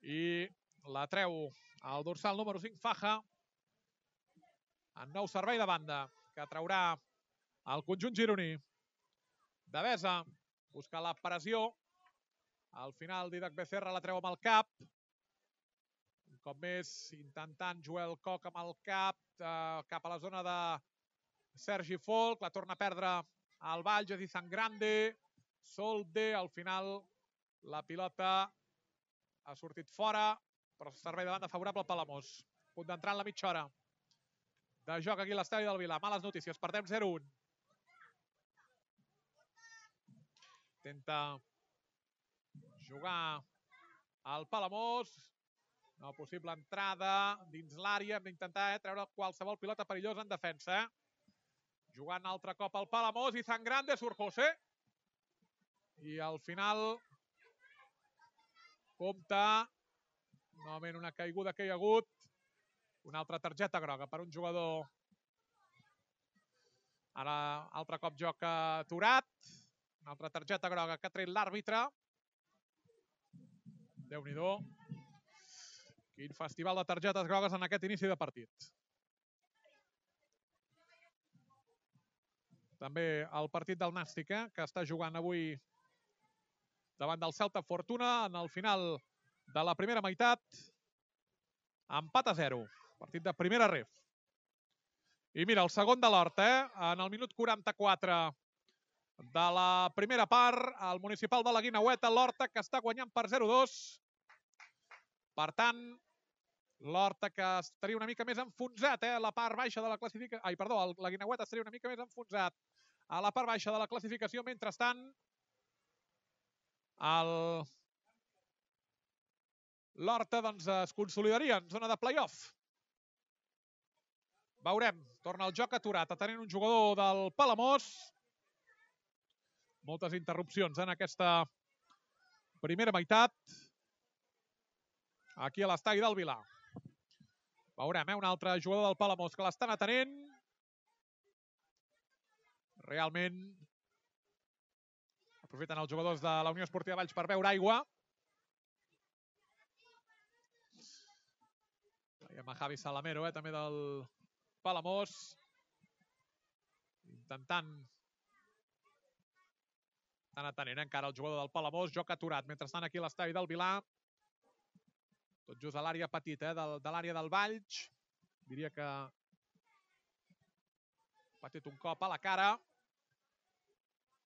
I la treu al dorsal número cinc, Faja. En nou servei de banda, que traurà el conjunt gironí. Devesa busca la pressió. Al final, Didac Becerra la treu amb el cap. Un cop més, intentant Joel Coc amb el cap, eh, cap a la zona de Sergi Folk. La torna a perdre al Valls, és Izangrande. Solde, al final, la pilota ha sortit fora, però servei de banda favorable al Palamós. Punt d'entrar en la mitja hora de joc aquí a l'estadi del Vila. Males notícies, perdem zero un. Intenta jugar al Palamós. No possible entrada dins l'àrea. Hem d'intentar eh, treure qualsevol pilota perillosa en defensa. Eh? Jugant altre cop al Palamós. Izangrande, surt José. I al final compta novament una caiguda que hi ha hagut. Una altra targeta groga per un jugador. Ara altre cop joc aturat. Una altra targeta groga que ha tret l'àrbitre. Déu-n'hi-do. Quin festival de targetes grogues en aquest inici de partit. També el partit del Nàstic, eh, que està jugant avui davant del Celta Fortuna en el final de la primera meitat. Empat a zero. Partit de primera ref. I mira, el segon de l'Horta, eh? En el minut quaranta-quatre de la primera part, el municipal de la Guineueta, l'Horta, que està guanyant per zero dos. Per tant, l'Horta que estaria una mica més enfonsat, eh? La part baixa de la classificació... Ai, perdó, la Guineueta estaria una mica més enfonsat a la part baixa de la classificació. Mentrestant, el... l'Horta doncs, es consolidaria en zona de play-off. Veurem. Torna el joc aturat, atenent un jugador del Palamós. Moltes interrupcions en aquesta primera meitat. Aquí a l'estadi del Vilar. Veurem, eh? Un altre jugador del Palamós que l'estan atenent. Realment aprofiten els jugadors de la Unió Esportiva Valls per beure aigua. Veiem a Javi Salamero, eh? També del Palamós. Intentant... Estan atenent encara el jugador del Palamós. Joc aturat. Mentrestant aquí a l'estadi del Vilar. Tot just a l'àrea petita, eh? de, de l'àrea del Valls. Diria que ha patit un cop a la cara.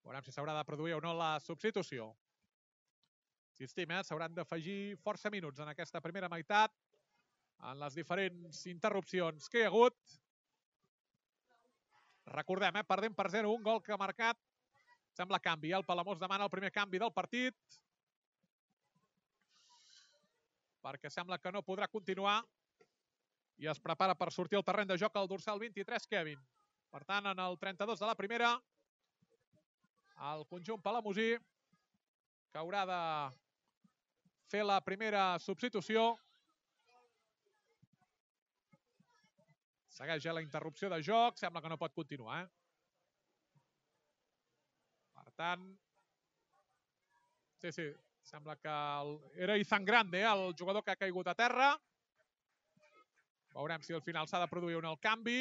Veurem si s'haurà de produir o no la substitució. Insistim, eh? S'hauran d'afegir força minuts en aquesta primera meitat, en les diferents interrupcions que hi ha hagut. Recordem, eh? Perdem per zero, un gol que ha marcat. Sembla canvi. El Palamós demana el primer canvi del partit, perquè sembla que no podrà continuar i es prepara per sortir al terreny de joc el dorsal vint-i-tres, Kevin. Per tant, en el trenta-dos de la primera, el conjunt palamosí que haurà de fer la primera substitució. Segueix ja la interrupció de joc, sembla que no pot continuar. Eh? Per tant, sí, sí, sembla que el... era Izan Grande, eh? El jugador que ha caigut a terra. Veurem si al final s'ha de produir un el canvi.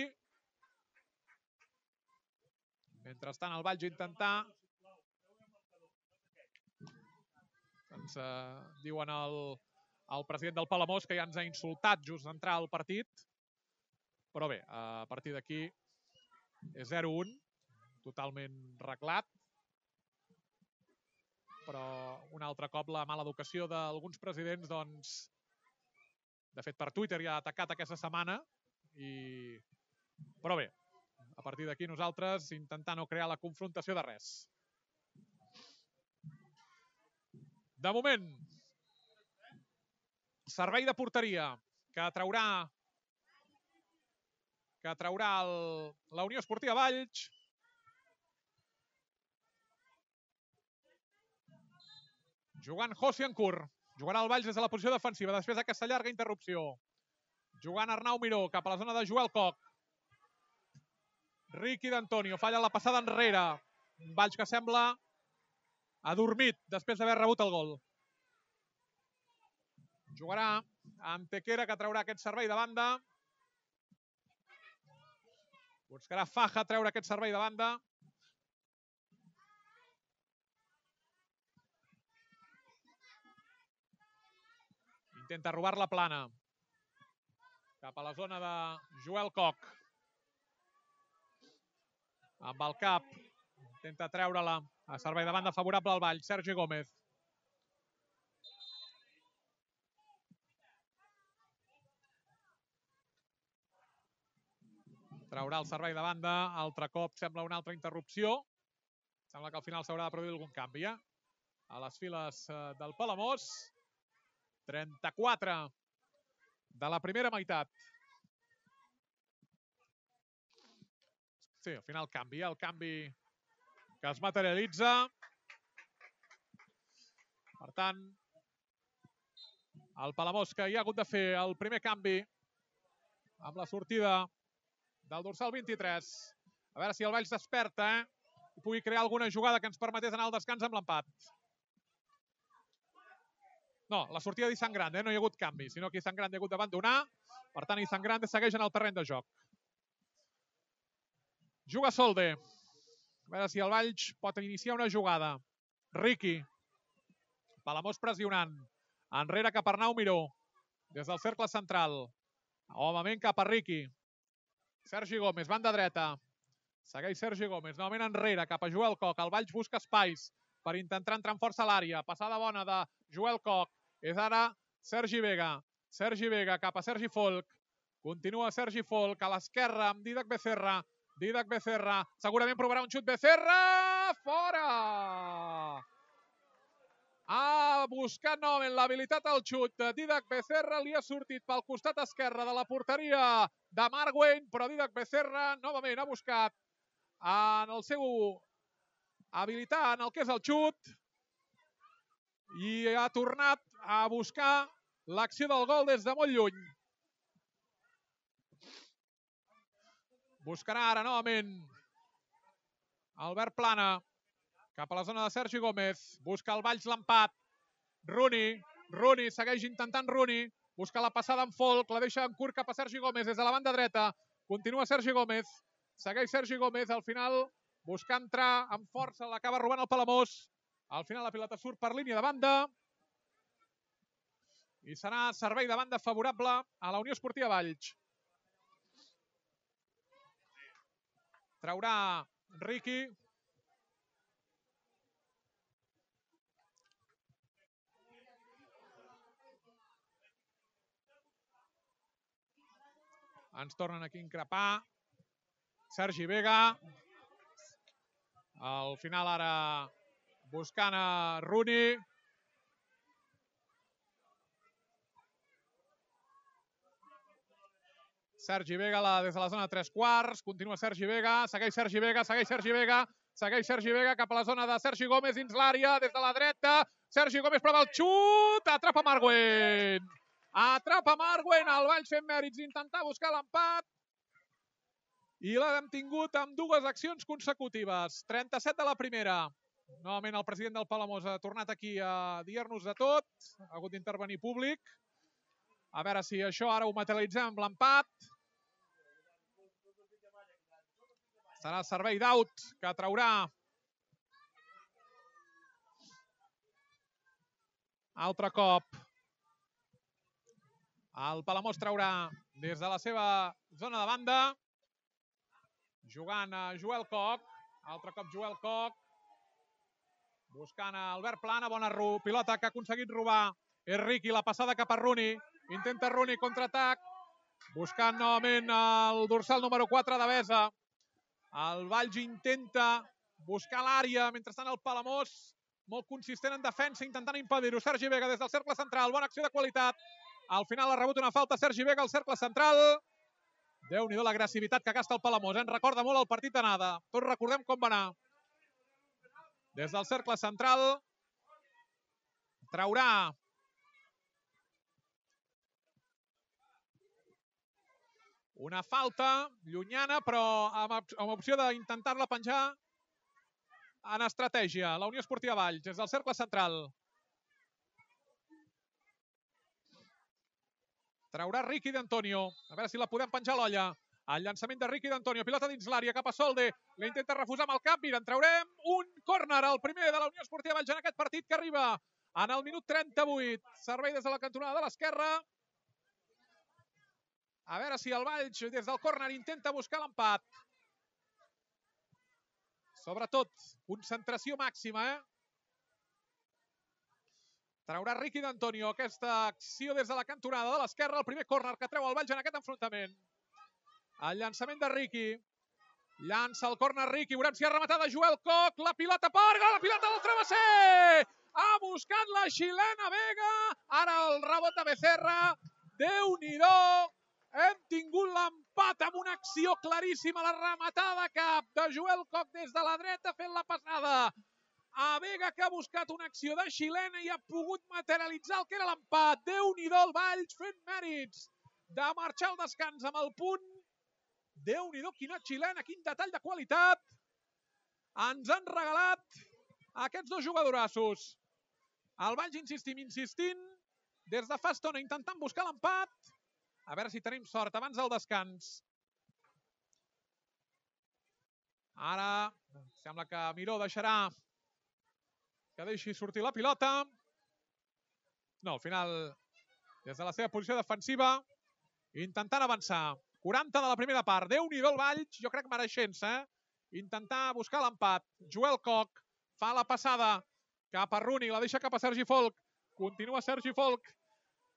Mentrestant el Valls intentar... Ens eh, diuen el, el president del Palamós que ja ens ha insultat just d'entrar al partit. Però bé, a partir d'aquí és zero un, totalment reglat. Però un altre cop la mala educació d'alguns presidents, doncs, de fet per Twitter ja ha atacat aquesta setmana. I... Però bé, a partir d'aquí nosaltres intentar no crear la confrontació de res. De moment, servei de porteria que traurà que traurà el, la Unió Esportiva Valls. Jugant José Ancur. Jugarà el Valls des de la posició defensiva després d'aquesta llarga interrupció. Jugant Arnau Miró cap a la zona de Joel Koch. Ricky d'Antonio falla la passada enrere. Un Valls que sembla adormit després d'haver rebut el gol. Jugarà Antequera que traurà aquest servei de banda. Buscarà Faja treure aquest servei de banda. Intenta robar la plana. Cap a la zona de Joel Koch. Amb el cap. Intenta treure-la. A servei de banda favorable al Valls. Sergi Gómez. Traurà el servei de banda. Altre cop sembla una altra interrupció. Sembla que al final s'haurà de produir algun canvi. Eh? A les files del Palamós. trenta-quatre de la primera meitat. Sí, al final canvi. El canvi que es materialitza. Per tant, el Palamós que hi ha hagut de fer el primer canvi amb la sortida del dorsal vint-i-tres. A veure si el Valls desperta, eh? I pugui crear alguna jugada que ens permetés anar al descans amb l'empat. No, la sortida d'Izan Grande, eh? No hi ha hagut canvi, sinó que Izan Grande ha hagut d'abandonar. Per tant, Izan Grande segueix en el terreny de joc. Juga Solde. A veure si el Valls pot iniciar una jugada. Ricky. Palamós pressionant. Enrere cap a Arnau Miró. Des del cercle central. Novament cap a Ricky. Sergi Gómez, banda dreta. Segueix Sergi Gómez, novament enrere, cap a Joel Koch. El Valls busca espais per intentar entrar amb força a l'àrea. Passada bona de Joel Koch. És ara Sergi Vega. Sergi Vega cap a Sergi Folk. Continua Sergi Folk a l'esquerra amb Dídac Becerra. Dídac Becerra. Segurament provarà un xut Becerra. Fora! Ha buscat novament l'habilitat al xut de Dídac Becerra. Li ha sortit pel costat esquerre de la porteria de Marc Wayne, però Dídac Becerra novament ha buscat en el seu habilitat en el que és el xut i ha tornat a buscar l'acció del gol des de molt lluny. Buscarà ara novament Albert Plana cap a la zona de Sergi Gómez. Busca el Valls l'empat. Rooney. Rooney segueix intentant Rooney. Busca la passada en Folk. La deixa en curt cap a Sergi Gómez des de la banda dreta. Continua Sergi Gómez. Segueix Sergi Gómez. Al final busca entrar amb força. L'acaba robant el Palamós. Al final la pilota surt per línia de banda. I serà servei de banda favorable a la Unió Esportiva Valls. Traurà Riqui. Ens tornen aquí a increpar. Sergi Vega. Al final ara buscant a Rooney. Sergi Vega la, des de la zona de tres quarts. Continua Sergi Vega. Segueix Sergi Vega. Segueix Sergi Vega. Segueix Sergi Vega cap a la zona de Sergi Gómez dins l'àrea. Des de la dreta. Sergi Gómez prova el xut. Atrapa Marc Wayne. Atrapa Marc Wayne. El Valls fent mèrits d'intentar buscar l'empat. I l'hem tingut amb dues accions consecutives. trenta-set de la primera. Novament el president del Palamós ha tornat aquí a dir-nos de tot. Ha hagut d'intervenir públic. A veure si això ara ho materialitzem amb l'empat. Serà el servei d'out que traurà. Altre cop. El Palamós traurà des de la seva zona de banda. Jugant a Joel Coc. Altre cop Joel Coc. Buscant a Albert Plana. Bona pilota que ha aconseguit robar. És Riqui, la passada cap a Rooney. Intenta Rooney, contraatac. Buscant novament el dorsal número quatre de Besa. El Valls intenta buscar l'àrea. Mentrestant el Palamós, molt consistent en defensa, intentant impedir-ho. Sergi Vega des del cercle central. Bona acció de qualitat. Al final ha rebut una falta Sergi Vega al cercle central. Déu-n'hi-do l'agressivitat que gasta el Palamós. Ens recorda molt el partit d'anada. Tots recordem com va anar. Des del cercle central traurà una falta llunyana, però amb opció d'intentar-la penjar en estratègia. La Unió Esportiva Valls, des del cercle central. Traurà Riqui d'Antonio. A veure si la podem penjar a l'olla. El llançament de Riqui d'Antonio. Pilota dins l'àrea, cap a Solde. La intenta refusar amb el cap. Mira, en traurem un córner, el primer de la Unió Esportiva Valls en aquest partit, que arriba en el minut trenta-vuit. Servei des de la cantonada de l'esquerra. A veure si el Valls, des del córner, intenta buscar l'empat. Sobretot, concentració màxima, eh? Traurà Riqui d'Antonio aquesta acció des de la cantonada de l'esquerra. El primer córner que treu el Valls en aquest enfrontament. El llançament de Riqui. Llança el córner Riqui. Veurem si ha rematat Joel Coc. La pilota per gol. La pilota del travesser. Ha buscat la xilena Vega. Ara el rebot de Becerra. Déu-n'hi-do. Hem tingut l'empat amb una acció claríssima. La rematada cap de Joel Coc des de la dreta fent la passada a Vega, que ha buscat una acció de xilena i ha pogut materialitzar el que era l'empat. Déu-n'hi-do el Valls fent mèrits de marxar al descans amb el punt. Déu-n'hi-do, quina xilena, quin detall de qualitat ens han regalat aquests dos jugadorassos. El Valls insistim, insistint, des de fa estona intentant buscar l'empat. A veure si tenim sort abans del descans. Ara sembla que Miró deixarà que deixi sortir la pilota. No, al final, des de la seva posició defensiva, intentant avançar. quaranta de la primera part. Déu-n'hi-do el Valls, jo crec mereixent-se, eh? Intentar buscar l'empat. Joel Coc fa la passada cap a Rooney, la deixa cap a Sergi Folk. Continua Sergi Folk.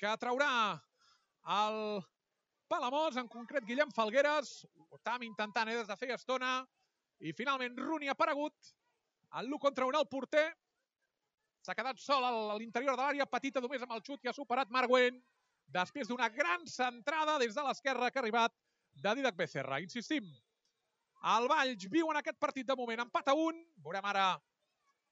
que traurà el Palamós, en concret Guillem Falgueres. Ho estàvem intentant eh, des de feia estona. I finalment Rooney ha aparegut. El l'u contra un al porter. S'ha quedat sol a l'interior de l'àrea petita, només amb el xut que ha superat Marc Güell. Després d'una gran centrada des de l'esquerra que ha arribat de Dídac Becerra. Insistim, el Valls viu en aquest partit de moment empat a un. Veurem ara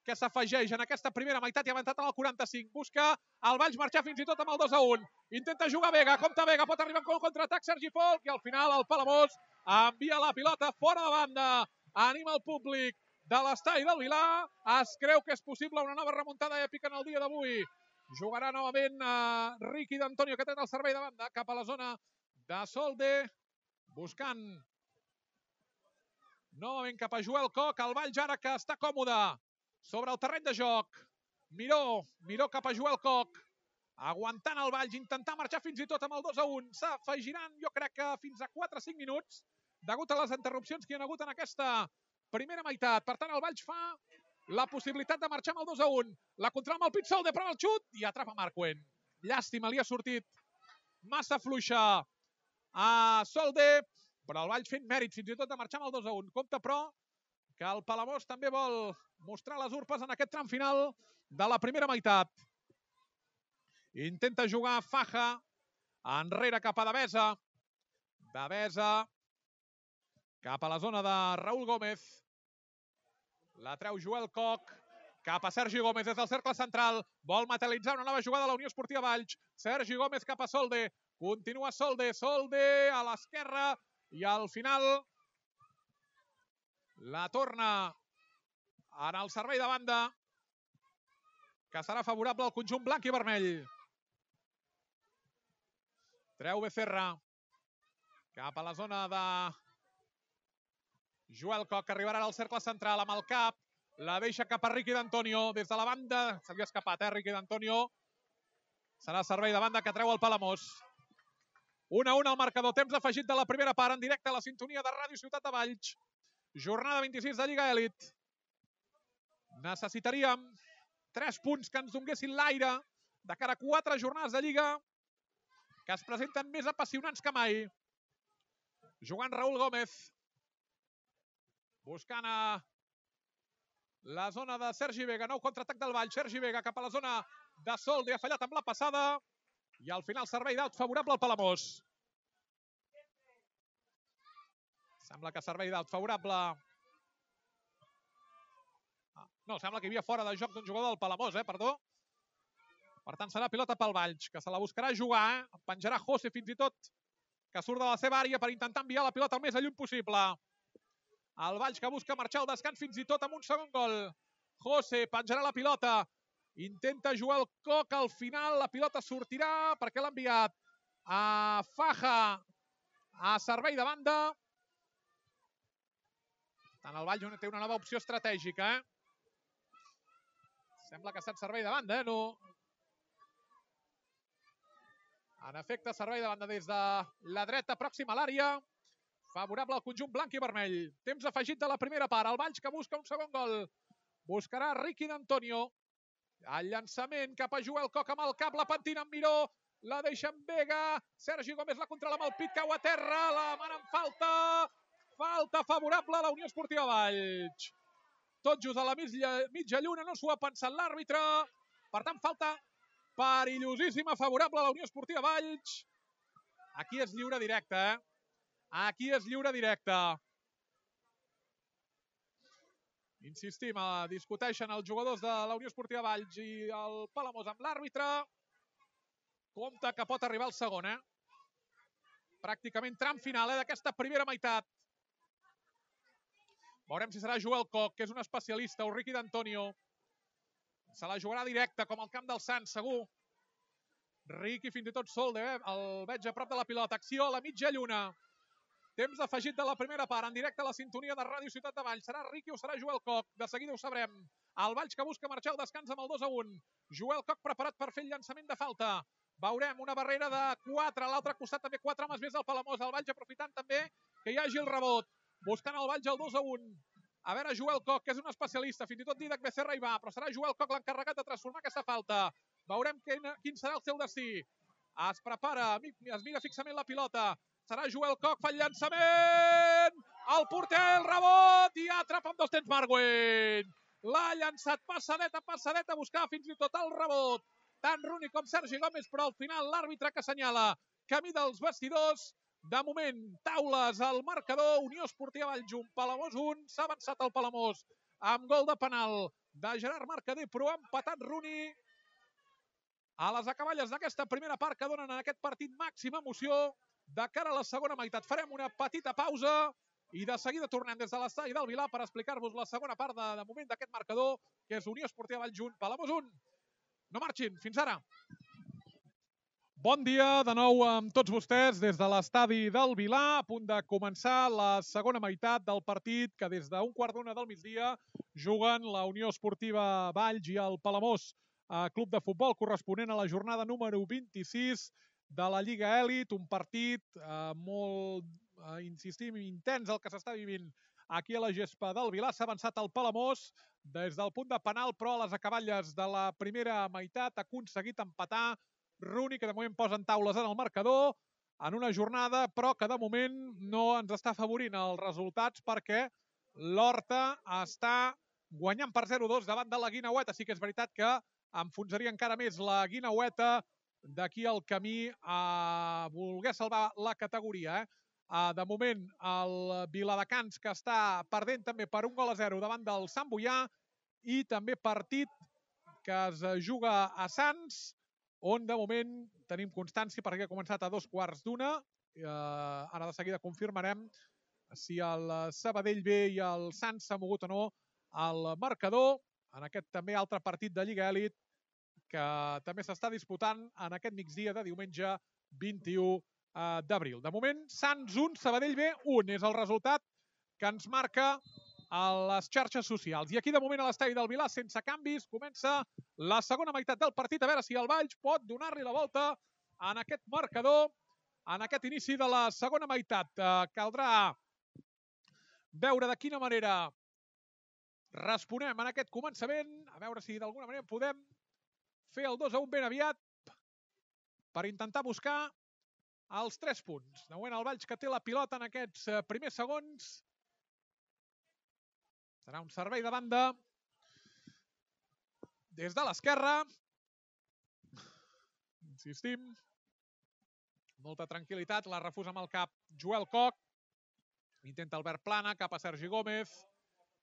que s'afegeix en aquesta primera meitat i ha avançat en el quaranta-cinc. Busca el Valls marxar fins i tot amb el dos a un. Intenta jugar Vega, compta Vega, pot arribar amb contraatac Sergi Folk i al final el Palamós envia la pilota fora de banda. Anima el públic de l'estadi del Vilar. Es creu que és possible una nova remuntada èpica en el dia d'avui. Jugarà novament a Riqui d'Antonio, que té el servei de banda cap a la zona de Solde. Buscant novament cap a Joel Coc. El Valls ara que està còmode sobre el terreny de joc. Miró, Miró cap a Joel Coc. Aguantant el Valls, intentar marxar fins i tot amb el dos a un. S'afegiran, jo crec que fins a quatre a cinc minuts, degut a les interrupcions que hi ha hagut en aquesta primera meitat. Per tant, el Valls fa la possibilitat de marxar amb el dos a un. La controla amb el Pitzol, de prova el xut i atrapa Marc Güell. Llàstima, li ha sortit massa fluixa a Solde, però el Valls fent mèrit fins i tot de marxar amb el dos a un. Compte, però, que el Palamós també vol mostrar les urpes en aquest tram final de la primera meitat. Intenta jugar Faja, enrere cap a Devesa. Devesa cap a la zona de Raúl Gómez. La treu Joel Coc, cap a Sergi Gómez des del cercle central. Vol materialitzar una nova jugada a la Unió Esportiva Valls. Sergi Gómez cap a Solde. Continua Solde, Solde a l'esquerra i al final la torna en el servei de banda, que serà favorable al conjunt blanc i vermell. Treu Becerra cap a la zona de Joel Coc, que arribarà al cercle central amb el cap. La deixa cap a Riqui d'Antonio des de la banda. Se li ha escapat, eh, Riqui d'Antonio. Serà servei de banda que treu el Palamós. un a un al marcador. Temps afegit de la primera part en directe a la sintonia de Ràdio Ciutat de Valls. Jornada vint-i-sis de Lliga Elit. Necessitaríem tres punts que ens donguessin l'aire de cara a quatre jornades de Lliga que es presenten més apassionants que mai. Jugant Raúl Gómez. Buscant a la zona de Sergi Vega. Nou contraatac del Valls. Sergi Vega cap a la zona de Solde. Ha fallat amb la passada. I al final servei d'aut favorable al Palamós. Sembla que servei d'aut favorable. Ah, no, sembla que hi havia fora de joc d'un jugador del Palamós, eh? Perdó. Per tant, serà pilota pel Valls, que se la buscarà jugar. Eh? En penjarà José fins i tot, que surt de la seva àrea per intentar enviar la pilota el més lluny possible. El Valls que busca marxar al descans fins i tot amb un segon gol. José penjarà la pilota. Intenta jugar el Coc. Al final la pilota sortirà perquè l'ha enviat a Faja a servei de banda. Tant el Valls té una nova opció estratègica. Eh? Sembla que ha estat servei de banda. Eh? No. En efecte, servei de banda des de la dreta pròxima a l'àrea. Favorable al conjunt blanc i vermell. Temps afegit de la primera part. El Valls que busca un segon gol. Buscarà Riqui d'Antonio. El llançament cap a Joel Coc amb el cap. La pentina amb Miró. La deixa en Vega. Sergi Gómez la controla amb el pit. Cau a terra. La mana en falta. Falta favorable a la Unió Esportiva Valls. Tot just a la mitja, mitja lluna. No s'ho ha pensat l'àrbitre. Per tant, falta perillosíssima favorable a la Unió Esportiva Valls. Aquí és lliure directe, eh? Aquí és lliure directe. Insistim, discuteixen els jugadors de la Unió Esportiva Valls i el Palamós amb l'àrbitre. Compte que pot arribar el segon, eh? Pràcticament tram final, eh, d'aquesta primera meitat. Veurem si serà Joel Coc, que és un especialista, o Riqui d'Antonio. Se la jugarà directa, com al camp del Sants, segur. Riqui fins i tot Solde, eh? El veig a prop de la pilota. Acció a la mitja lluna. Temps afegit de la primera part, en directe a la sintonia de Ràdio Ciutat de Valls. Serà Riqui o serà Joel Coc? De seguida ho sabrem. El Valls que busca marxar al descans amb el dos a un. Joel Coc preparat per fer el llançament de falta. Veurem una barrera de quatre. A l'altre costat també quatre homes més al Palamós. El Valls aprofitant també que hi hagi el rebot. Buscant el Valls al dos a un. A veure, Joel Coc, que és un especialista. Fins i tot Dídac Becerra hi va, però serà Joel Coc l'encarregat de transformar aquesta falta. Veurem quin, quin serà el seu destí. Es prepara, es mira fixament la pilota. Serà Joel Koch, fa el llançament. El porter, el rebot i atrapa amb dos temps Marwin. L'ha llançat passadeta, passadeta, buscava fins i tot el rebot. Tant Rooney com Sergi Gómez, però al final l'àrbitre que assenyala camí dels vestidors. De moment, taules al marcador. Unió Esportiva Valljunc, Palamós un. S'ha avançat el Palamós amb gol de penal de Gerard Mercader, però ha empatat Rooney. A les acaballes d'aquesta primera part que donen en aquest partit màxima emoció de cara a la segona meitat. Farem una petita pausa i de seguida tornem des de l'estadi del Vilar per explicar-vos la segona part de, de moment d'aquest marcador, que és Unió Esportiva Valljunc, Palamós un. No marxin, fins ara. Bon dia de nou amb tots vostès des de l'estadi del Vilar, a punt de començar la segona meitat del partit que des d'un quart d'una del migdia juguen la Unió Esportiva Valls i el Palamós Club de Futbol, corresponent a la jornada número vint-i-sis de la Lliga Elit, un partit eh, molt, eh, insistim, intens el que s'està vivint aquí a la gespa del Vilar. S'ha avançat el Palamós des del punt de penal, però a les acaballes de la primera meitat ha aconseguit empatar Rooney, que de moment posen taules en el marcador, en una jornada, però que de moment no ens està afavorint els resultats perquè l'Horta està guanyant per zero a dos davant de la Guineueta. Sí que és veritat que enfonsaria encara més la Guineueta d'aquí al camí a voler salvar la categoria. Eh? De moment, el Viladecans, que està perdent també per un gol a zero davant del Sant Boià, i també partit que es juga a Sants, on de moment tenim constància perquè ha començat a dos quarts d'una. Eh, ara de seguida confirmarem si el Sabadell B i el Sants s'ha mogut o no al marcador en aquest també altre partit de Lliga Elit que també s'està disputant en aquest migdia de diumenge vint-i-u d'abril. De moment, Sants un, Sabadell B un és el resultat que ens marca a les xarxes socials. I aquí, de moment, a l'estadi del Vilar, sense canvis, comença la segona meitat del partit. A veure si el Valls pot donar-li la volta en aquest marcador, en aquest inici de la segona meitat. Eh, caldrà veure de quina manera responem en aquest començament, a veure si d'alguna manera podem fer el dos a un ben aviat per intentar buscar els tres punts. De moment, el Valls que té la pilota en aquests primers segons. Serà un servei de banda des de l'esquerra. Insistim. Molta tranquil·litat. La refusa amb el cap Joel Koch. Intenta Albert Plana, cap a Sergi Gómez.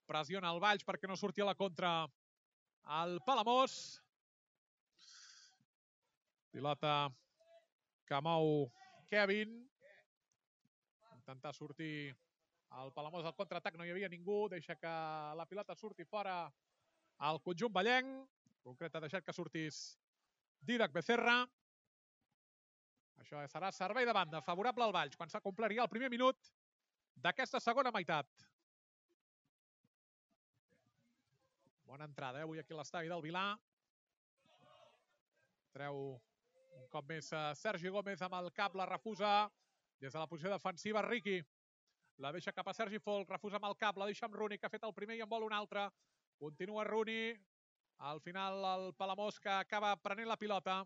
Pressiona el Valls perquè no surti a la contra el Palamós. Pilota que mou Kevin. Intentar sortir el Palamós al contraatac, no hi havia ningú. Deixa que la pilota surti fora al conjunt vallenc. En concret ha deixat que sortís Dídac Becerra. Això serà servei de banda favorable al Valls quan s'acompliria el primer minut d'aquesta segona meitat. Bona entrada, eh? Avui aquí a l'estadi del Vilar. Treu un cop més Sergi Gómez amb el cap, la refusa des de la posició defensiva Riqui. La deixa cap a Sergi Folk, refusa amb el cap, la deixa amb Rooney, que ha fet el primer i en vol un altre. Continua Rooney. Al final el Palamós que acaba prenent la pilota.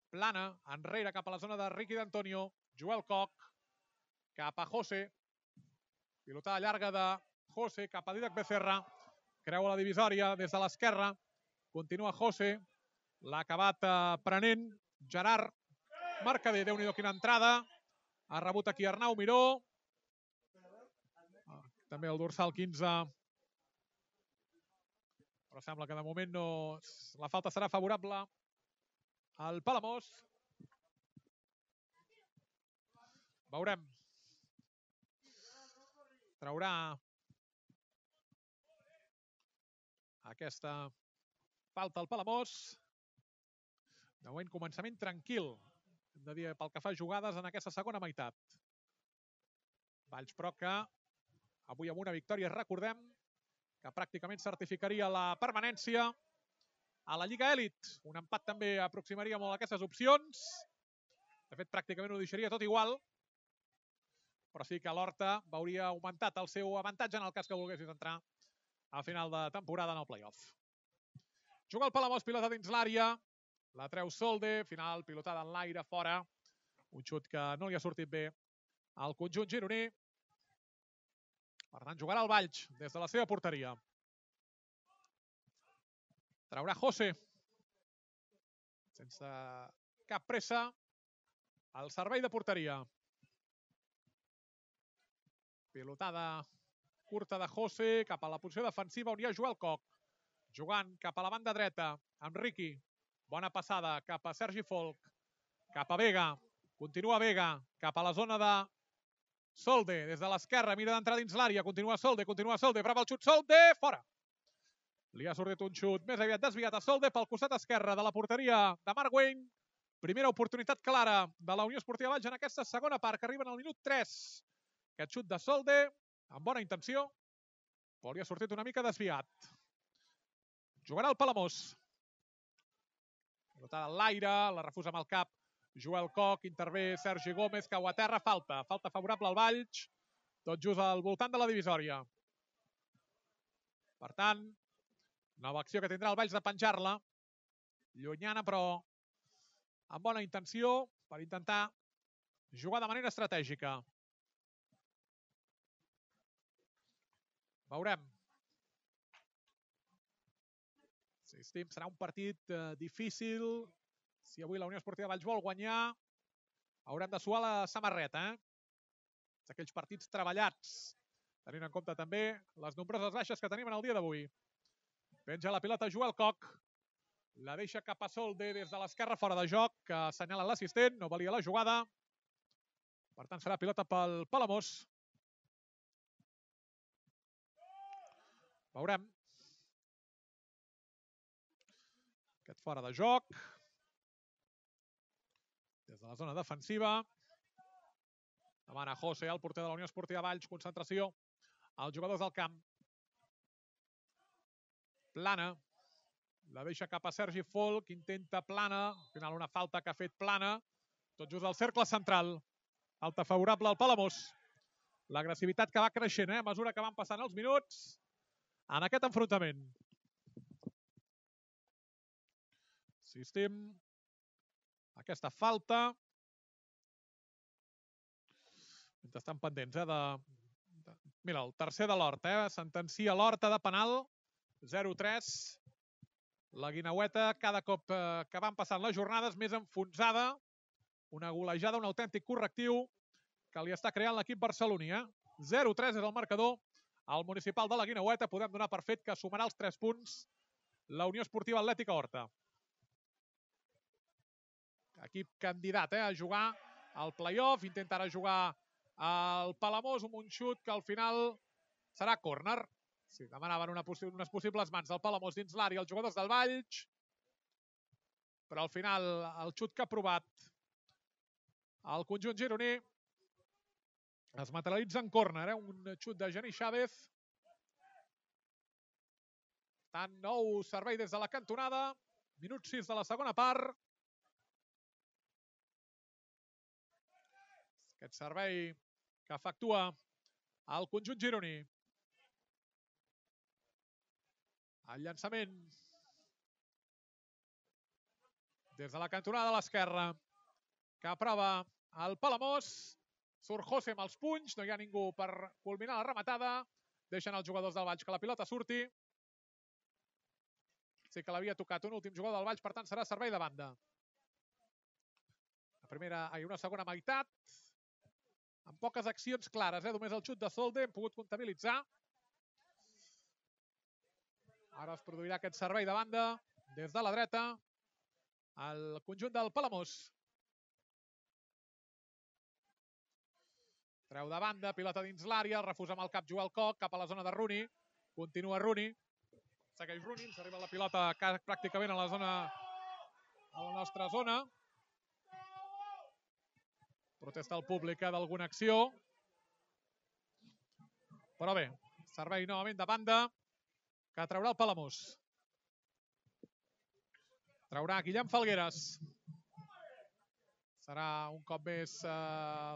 Plana, enrere cap a la zona de Riqui d'Antonio. Joel Koch, cap a José. Pilotada llarga de José cap a Dídac Becerra. Creua la divisòria des de l'esquerra. Continua José. L'ha acabat prenent Gerard Mercader. Déu-n'hi-do quina entrada. Ha rebut aquí Arnau Miró. També el dorsal quinze. Però sembla que de moment no... La falta serà favorable al Palamós. Veurem. Traurà aquesta falta al Palamós. De moment, començament tranquil, hem de dir, pel que fa a jugades en aquesta segona meitat. Valls, però, que avui amb una victòria, recordem, que pràcticament certificaria la permanència a la Lliga Elit. Un empat també aproximaria molt aquestes opcions. De fet, pràcticament ho deixaria tot igual, però sí que l'Horta veuria augmentat el seu avantatge en el cas que volguessis entrar a final de temporada en el play-off. Juga el Palamós, pilota dins l'àrea. La treu Solde, final, pilotada en l'aire, fora. Un xut que no li ha sortit bé al conjunt gironí. Per tant, jugarà el Valls des de la seva porteria. Traurà José. Sense cap pressa. Al servei de porteria. Pilotada curta de José cap a la posició defensiva on hi ha Joel Coc. Jugant cap a la banda dreta amb Riqui. Bona passada cap a Sergi Folk. Cap a Vega. Continua Vega cap a la zona de Solde. Des de l'esquerra mira d'entrar dins l'àrea. Continua Solde, continua Solde. Prova el xut Solde. Fora. Li ha sortit un xut més aviat desviat a Solde pel costat esquerre de la porteria de Marc Wayne. Primera oportunitat clara de la Unió Esportiva Valls en aquesta segona part que arriben al minut tres. Aquest xut de Solde amb bona intenció, però li ha sortit una mica desviat. Jugarà el Palamós. Pilotada a l'aire, la refusa amb el cap Joel Coc, intervé Sergi Gómez, cau a terra, falta. Falta favorable al Valls, tot just al voltant de la divisòria. Per tant, nova acció que tindrà el Valls de penjar-la. Llunyana, però amb bona intenció per intentar jugar de manera estratègica. Veurem. Insistim, serà un partit eh, difícil. Si avui la Unió Esportiva Valls vol guanyar, haurem de suar la samarreta. Eh? Aquells partits treballats, tenint en compte també les nombroses baixes que tenim en el dia d'avui. Penja la pilota Joel Coc. La deixa cap a Solde des de l'esquerra fora de joc, que assenyala l'assistent, no valia la jugada. Per tant, serà pilota pel Palamós. Veurem. Aquest fora de joc. Des de la zona defensiva. Demana José, el porter de la Unió Esportiva Valls. Concentració als jugadors del camp. Plana. La deixa cap a Sergi Folk. Intenta Plana. Al final una falta que ha fet Plana. Tot just al cercle central. Falta favorable al Palamós. L'agressivitat que va creixent eh, a mesura que van passant els minuts en aquest enfrontament. Insistim. Aquesta falta. Estan pendents, eh? De... Mira, el tercer de l'Horta, eh? Sentencia l'Horta de penal. zero tres. La Guineueta, cada cop eh, que van passant les jornades, més enfonsada. Una golejada, un autèntic correctiu que li està creant l'equip barceloní. Eh? zero tres és el marcador. Al municipal de la Guineueta podem donar per fet que sumarà els tres punts la Unió Esportiva Atlètica Horta. Equip candidat eh, a jugar al play-off, intentarà jugar al Palamós amb un xut que al final serà córner. Sí, demanaven una possi unes possibles mans del Palamós dins l'àrea els jugadors del Valls, però al final el xut que ha provat el conjunt gironí es materialitza en córner, eh? Un xut de Geni Chávez. Tant nou servei des de la cantonada, minut sis de la segona part. Aquest servei que efectua el conjunt gironí. El llançament des de la cantonada de l'esquerra que aprova el Palamós. Surt José amb els punys, no hi ha ningú per culminar la rematada. Deixen els jugadors del Valls que la pilota surti. Sí que l'havia tocat un últim jugador del Valls, per tant serà servei de banda. La primera, ai, una segona meitat, amb poques accions clares, eh? Només el xut de Solde hem pogut comptabilitzar. Ara es produirà aquest servei de banda des de la dreta al conjunt del Palamós. Treu de banda, pilota dins l'àrea, refusa amb el cap Joel Coc, cap a la zona de Rooney. Continua Rooney. Segueix Rooney, ens arriba la pilota pràcticament a la zona, a la nostra zona. Protesta el públic d'alguna acció. Però bé, servei novament de banda que traurà el Palamós. Traurà Guillem Falgueres. Serà un cop més eh,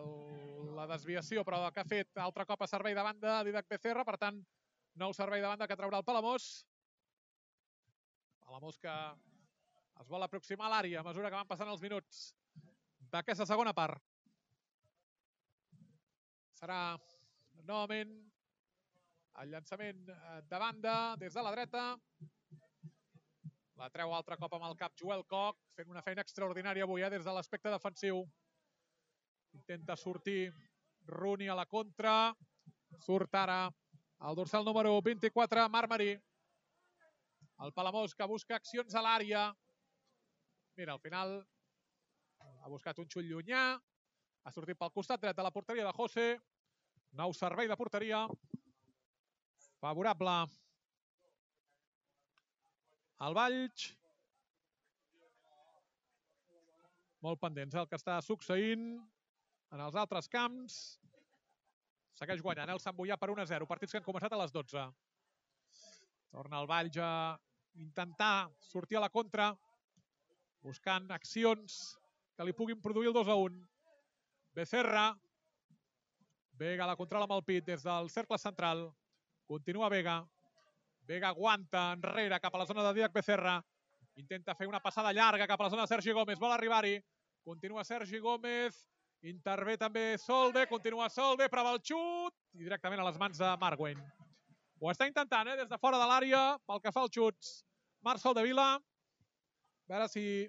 la desviació, però que ha fet altre cop a servei de banda Didac Becerra. Per tant, nou servei de banda que traurà el Palamós. Palamós que Es vol aproximar a l'àrea a mesura que van passant els minuts d'aquesta segona part. Serà novament el llançament de banda des de la dreta. La treu altre cop amb el cap Joel Koch, fent una feina extraordinària avui eh, des de l'aspecte defensiu. Intenta sortir Rooney a la contra. Surt ara el dorsal número vint-i-quatre, Marc Marí. El Palamós que busca accions a l'àrea. Mira, al final ha buscat un xut llunyà. Ha sortit pel costat dret de la porteria de José. Nou servei de porteria. Favorable al Valls. Molt pendents el que està succeint en els altres camps. Segueix guanyant el Sant Boià per un a zero. Partits que han començat a les dotze. Torna el Valls a intentar sortir a la contra, buscant accions que li puguin produir el dos a un. Becerra. Vega la controla amb el pit des del cercle central. Continua Vega. Vega aguanta enrere cap a la zona de Dídac Becerra. Intenta fer una passada llarga cap a la zona de Sergi Gómez. Vol arribar-hi. Continua Sergi Gómez. Intervé també Solde. Continua Solde. Prova el xut. I directament a les mans de Marc Wayne. Ho està intentant, eh? Des de fora de l'àrea, pel que fa als xuts. Marc Soldevila. A veure si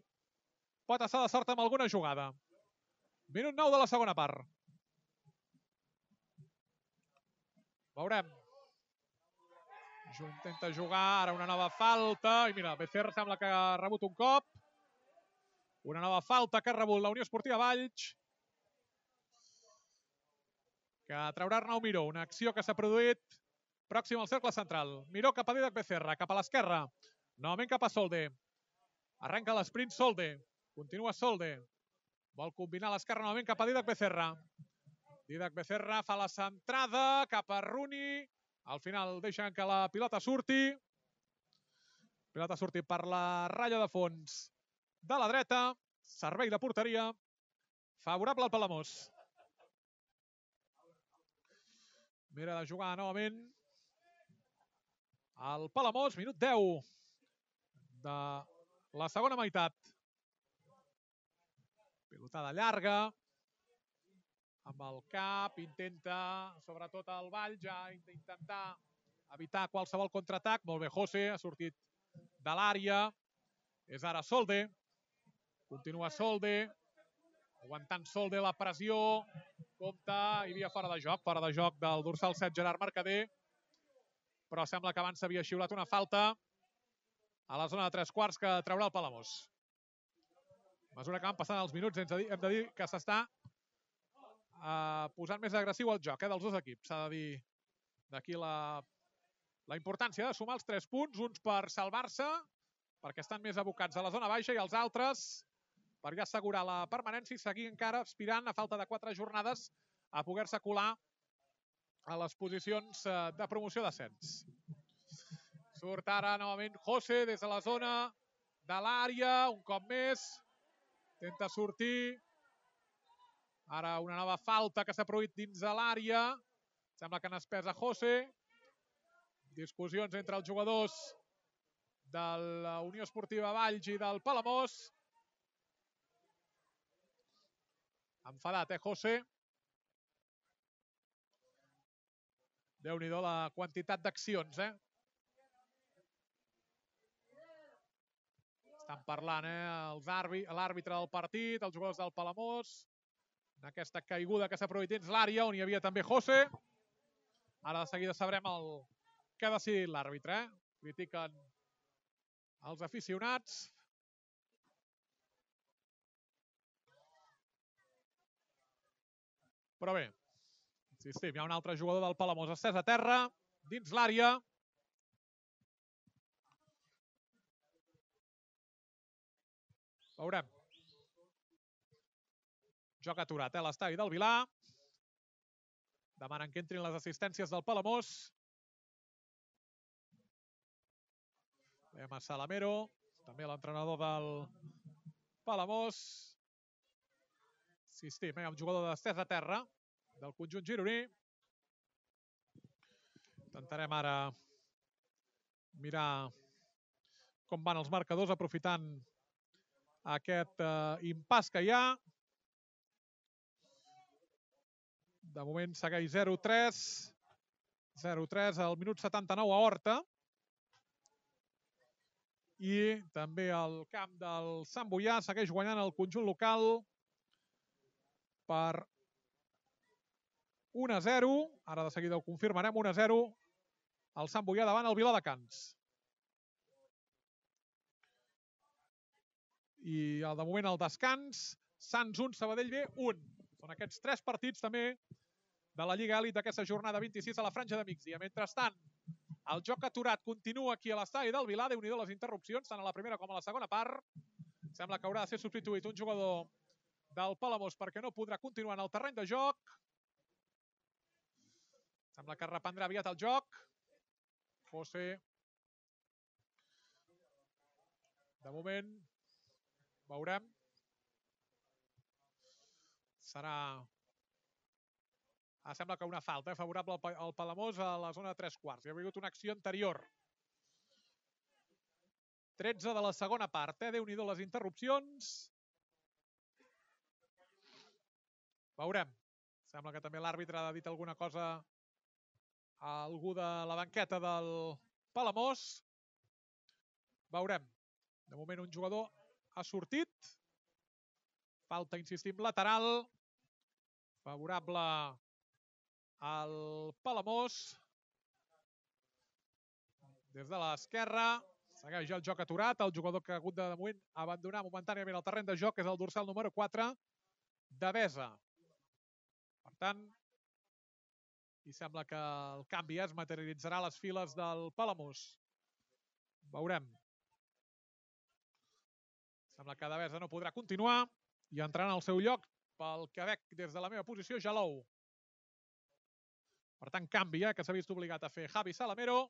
pot estar de sort amb alguna jugada. Minut nou de la segona part. Veurem. Intenta jugar, ara una nova falta. I mira, Becerra sembla que ha rebut un cop. Una nova falta que ha rebut la Unió Esportiva Valls. Que traurà Arnau Miró. Una acció que s'ha produït pròxim al cercle central. Miró cap a Dídac Becerra, cap a l'esquerra. Novament cap a Solde. Arrenca l'esprint Solde. Continua Solde. Vol combinar l'esquerra novament cap a Dídac Becerra. Dídac Becerra fa la centrada cap a Rooney. Al final deixen que la pilota surti. Pilota surti per la ratlla de fons de la dreta. Servei de porteria favorable al Palamós. Mira de jugar novament el Palamós. Minut deu de la segona meitat. Pilotada llarga. Amb el cap, intenta, sobretot el Valls, ja intentar evitar qualsevol contraatac. Molt bé, José, ha sortit de l'àrea. És ara Solde. Continua Solde. Aguantant Solde la pressió. Compte, hi havia fora de joc. Fora de joc del dorsal set, Gerard Mercader. Però sembla que abans s'havia xiulat una falta a la zona de tres quarts que traurà el Palamós. A mesura que van passant els minuts, hem de dir que s'està Uh, posant més agressiu el joc eh, dels dos equips. S'ha de dir d'aquí la, la importància de sumar els tres punts, uns per salvar-se, perquè estan més abocats a la zona baixa, i els altres per ja assegurar la permanència i seguir encara aspirant, a falta de quatre jornades, a poder-se colar a les posicions uh, de promoció d'ascens. Surt ara novament José des de la zona de l'àrea, un cop més, intenta sortir. Ara una nova falta que s'ha produït dins de l'àrea. Sembla que n'ha espès a José. Discussions entre els jugadors de la Unió Esportiva Valls i del Palamós. Enfadat, eh, José? Déu-n'hi-do la quantitat d'accions, eh? Estan parlant, eh, l'àrbitre del partit, els jugadors del Palamós. En aquesta caiguda que s'ha produït dins l'àrea, on hi havia també José. Ara de seguida sabrem el que ha decidit l'àrbitre. Eh? Critiquen els aficionats. Però bé, insistim, hi ha un altre jugador del Palamós estès a terra, dins l'àrea. Veurem. Joc aturat, eh, l'estadi del Vilà. Demanen que entrin les assistències del Palamós. Veiem a Salamero, també l'entrenador del Palamós. Insistim, eh, un jugador d'estès a terra del conjunt gironí. Intentarem ara mirar com van els marcadors, aprofitant aquest eh, impàs que hi ha. De moment segueix zero tres. zero tres al minut setanta-nou a Horta. I també el camp del Sant Boià segueix guanyant el conjunt local per un a zero. Ara de seguida ho confirmarem, un a zero. El Sant Boià davant el Viladecans. I de moment el descans, Sants un, Sabadell B un. Són aquests tres partits també de la Lliga Elit d'aquesta jornada vint-i-sis a la franja de migdia. Mentrestant, el joc aturat continua aquí a l'estadi del Vilar. Déu-n'hi-do les interrupcions, tant a la primera com a la segona part. Sembla que haurà de ser substituït un jugador del Palamós perquè no podrà continuar en el terreny de joc. Sembla que reprendrà aviat el joc. José. De moment, veurem. Serà... Ah, sembla que una falta eh, favorable al Palamós a la zona de tres quarts. Hi ha hagut una acció anterior. tretze de la segona part. Eh? Déu-n'hi-do les interrupcions. Veurem. Sembla que també l'àrbitre ha dit alguna cosa a algú de la banqueta del Palamós. Veurem. De moment un jugador ha sortit. Falta, insistim, lateral. Favorable al Palamós. Des de l'esquerra. Segueix el joc aturat. El jugador que ha hagut de, de moment abandonar momentàniament el terreny de joc és el dorsal número quatre, Devesa. Per tant, i sembla que el canvi es materialitzarà a les files del Palamós. Veurem. Sembla que Devesa no podrà continuar i entrarà en el seu lloc pel que veig des de la meva posició, Jalou. Per tant, canvi, eh, que s'ha vist obligat a fer Javi Salamero.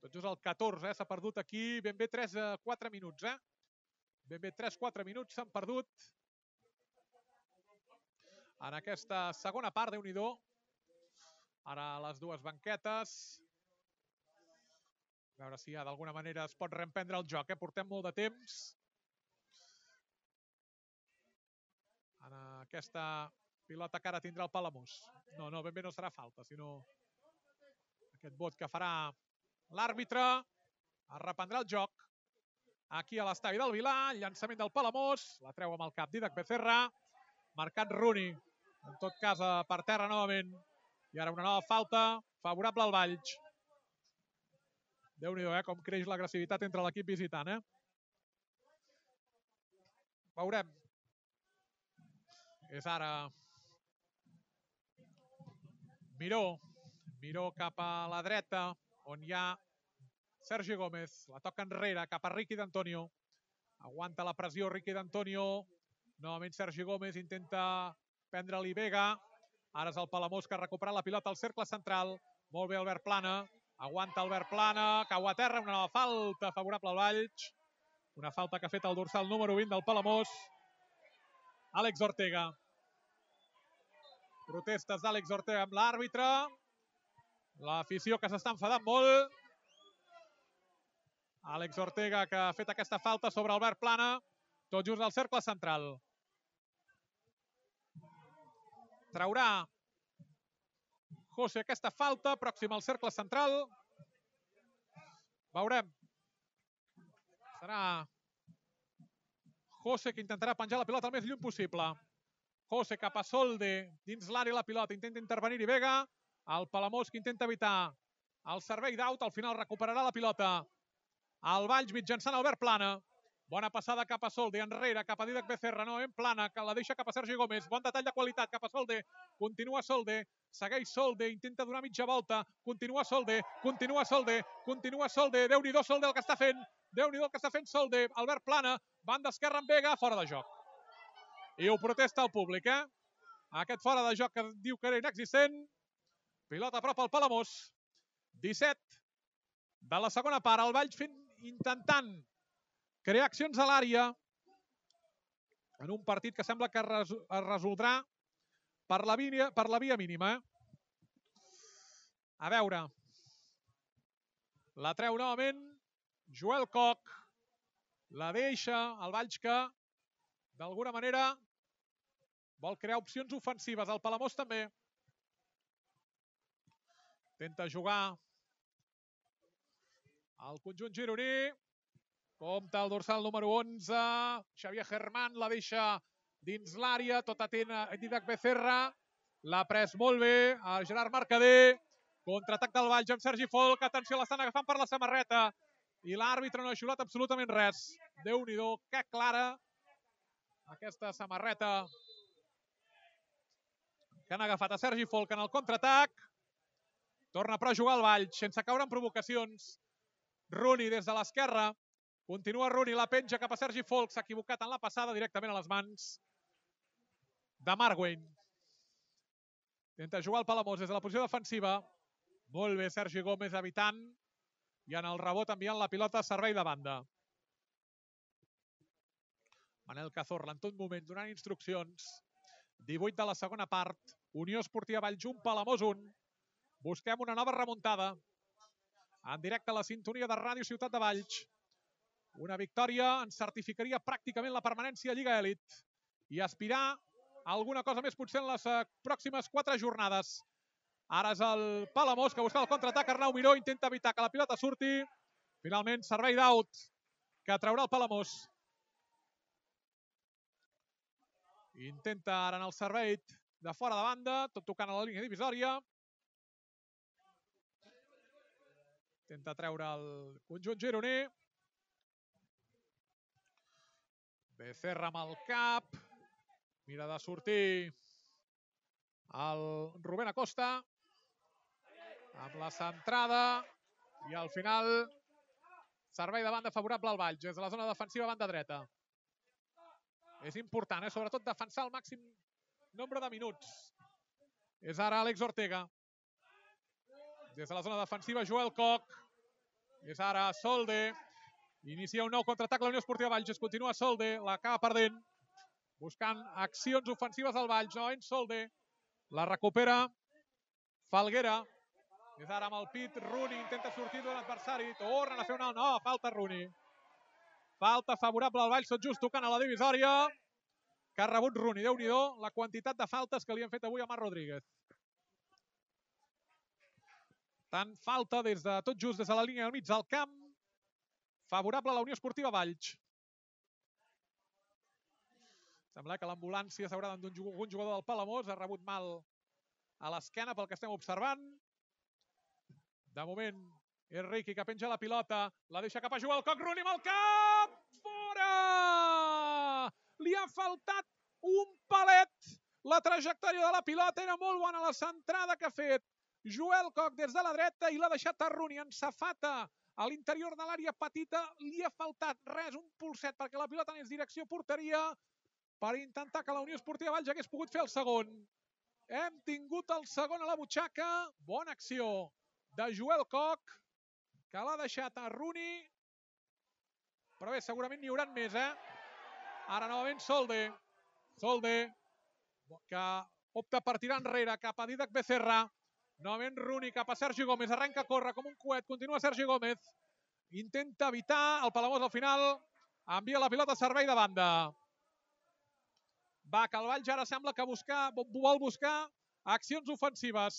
Tot just el catorze, eh, s'ha perdut aquí ben bé tres a quatre minuts. Eh? Ben bé tres a quatre minuts s'han perdut en aquesta segona part, Déu-n'hi-do. Ara les dues banquetes. A veure si ja d'alguna manera es pot reemprendre el joc. Eh? Portem molt de temps. En aquesta pilota que ara tindrà el Palamós. No, no, ben bé no serà falta, sinó aquest vot que farà l'àrbitre. Es reprendrà el joc. Aquí a l'estadi del Vilar, llançament del Palamós. La treu amb el cap Didac Becerra. Marcat Rooney. En tot cas, per terra novament. I ara una nova falta favorable al Valls. Déu-n'hi-do, eh, com creix l'agressivitat entre l'equip visitant. Eh? Veurem. És ara Miró. Miró cap a la dreta, on hi ha Sergi Gómez. La toca enrere, cap a Riqui d'Antonio. Aguanta la pressió Riqui d'Antonio. Novament Sergi Gómez intenta prendre-li Vega. Ara és el Palamós que ha recuperat la pilota al cercle central. Molt bé Albert Plana. Aguanta Albert Plana. Cau a terra. Una nova falta favorable al Valls. Una falta que ha fet el dorsal número vint del Palamós. Àlex Ortega. Protestes d'Àlex Ortega amb l'àrbitre. L'afició que s'està enfadant molt. Àlex Ortega que ha fet aquesta falta sobre Albert Plana. Tot just al cercle central. Traurà José aquesta falta, pròxim al cercle central. Veurem. Serà José que intentarà penjar la pilota el més lluny possible. José cap a Solde, dins l'àrea la pilota, intenta intervenir-hi Vega. El Palamós que intenta evitar el servei d'aut, al final recuperarà la pilota. El Valls mitjançant Albert Plana. Bona passada cap a Solde, enrere, cap a Didac Becerra, no, en Plana, que la deixa cap a Sergi Gómez. Bon detall de qualitat cap a Solde. Continua Solde, segueix Solde, intenta donar mitja volta. Continua Solde, continua Solde, continua Solde. Déu-n'hi-do Solde el que està fent. Déu-n'hi-do el que està fent Solde. Albert Plana, banda esquerra amb Vega, fora de joc. I ho protesta el públic, eh? Aquest fora de joc que diu que era inexistent. Pilota a prop al Palamós. disset de la segona part. El Valls fent, intentant crear accions a l'àrea en un partit que sembla que es resoldrà per la via, per la via mínima. Eh? A veure. La treu novament Joel Coc. La deixa el Valls, que d'alguna manera vol crear opcions ofensives. El Palamós també. Intenta jugar el conjunt gironí. Compte el dorsal número onze. Xavier Germán la deixa dins l'àrea. Tot atent a Didac Becerra. L'ha pres molt bé a Gerard Mercader. Contraatac del Valls amb Sergi Folk. Atenció, l'estan agafant per la samarreta. I l'àrbitre no ha xiulat absolutament res. Déu-n'hi-do, que clara aquesta samarreta que han agafat a Sergi Folk en el contraatac. Torna però a jugar el Valls, sense caure en provocacions. Rooney des de l'esquerra. Continua Rooney, la penja cap a Sergi Folk. S'ha equivocat en la passada, directament a les mans de Marwayne. Intenta jugar el Palamós des de la posició defensiva. Molt bé Sergi Gómez evitant. I en el rebot enviant la pilota a servei de banda. Manel Cazorla en tot moment donant instruccions. divuit de la segona part. Unió Esportiva Valls un, Palamós un. Busquem una nova remuntada. En directe a la sintonia de Ràdio Ciutat de Valls. Una victòria ens certificaria pràcticament la permanència a Lliga Elit. I aspirar a alguna cosa més potser en les pròximes quatre jornades. Ara és el Palamós que busca el contraatac. Arnau Miró intenta evitar que la pilota surti. Finalment, servei d'aut que traurà el Palamós. Intenta ara en el servei de fora de banda, tot tocant a la línia divisòria. Intenta treure el conjunt gironí. Becerra amb el cap. Mira de sortir el Rubén Acosta. Amb la centrada. I al final, servei de banda favorable al Valls. Des de la zona defensiva, banda dreta. És important, eh? Sobretot defensar el màxim nombre de minuts. És ara Àlex Ortega. Des de la zona defensiva, Joel Koch. És ara Solde. Inicia un nou contraatac la Unió Esportiva Valls. Es continua Solde, l'acaba perdent. Buscant accions ofensives al Valls. Novament Solde. La recupera Falguera. És ara amb el pit. Rooney intenta sortir d'un adversari. Tornen a fer una... No, falta Rooney. Falta favorable al Valls, tot just tocant a la divisòria. Que ha rebut Rooney. Déu-n'hi-do la quantitat de faltes que li han fet avui a Marc Rodríguez. Tant falta des de tot just des de la línia del mig del camp. Favorable a la Unió Esportiva Valls. Sembla que l'ambulància s'haurà d'endur un jugador del Palamós. Ha rebut mal a l'esquena pel que estem observant. De moment, és Riqui que penja la pilota. La deixa cap a jugar el Koch. Rooney amb el cap! Fora! Li ha faltat un palet. La trajectòria de la pilota era molt bona. La centrada que ha fet Joel Koch des de la dreta i l'ha deixat a Rooney en safata. A l'interior de l'àrea petita li ha faltat res, un polset, perquè la pilota anés direcció porteria per intentar que la Unió Esportiva Valls hagués pogut fer el segon. Hem tingut el segon a la butxaca. Bona acció de Joel Koch, que l'ha deixat a Rooney. Però bé, segurament n'hi hauran més, eh? Ara novament Solde. Solde, que opta per tirar enrere cap a Didac Becerra. Novament Rooney cap a Sergi Gómez. Arrenca a córrer com un coet. Continua Sergi Gómez. Intenta evitar el Palamós al final. Envia la pilota a servei de banda. Va, que el Valls ara sembla que buscar, vol buscar accions ofensives.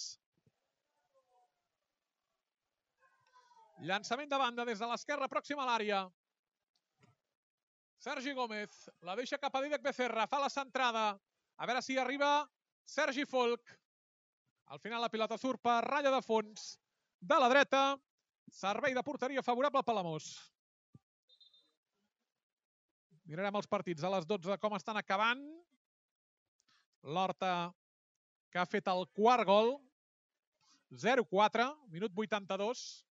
Llançament de banda des de l'esquerra pròxima a l'àrea. Sergi Gómez la deixa cap a Didac Becerra. Fa la centrada. A veure si arriba Sergi Folk. Al final la pilota surt per ratlla de fons de la dreta. Servei de porteria favorable al Palamós. Mirarem els partits a les dotze com estan acabant. L'Horta que ha fet el quart gol. zero quatre, minut vuitanta-dos.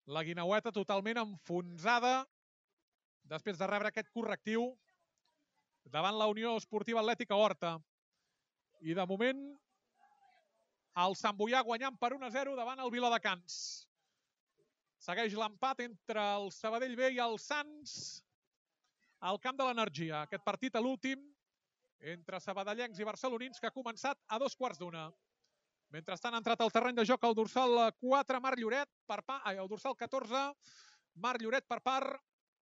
La Guineueta totalment enfonsada després de rebre aquest correctiu davant la Unió Esportiva Atlètica Horta. I de moment el Sant Boià guanyant per un a zero davant el Viladecans. Segueix l'empat entre el Sabadell B i el Sants al camp de l'Energia. Aquest partit a l'últim entre sabadellencs i barcelonins que ha començat a dos quarts d'una. Mentrestant ha entrat al terreny de joc el dorsal quatre, Marc Lloret, per pa, el dorsal catorze, Marc Lloret per part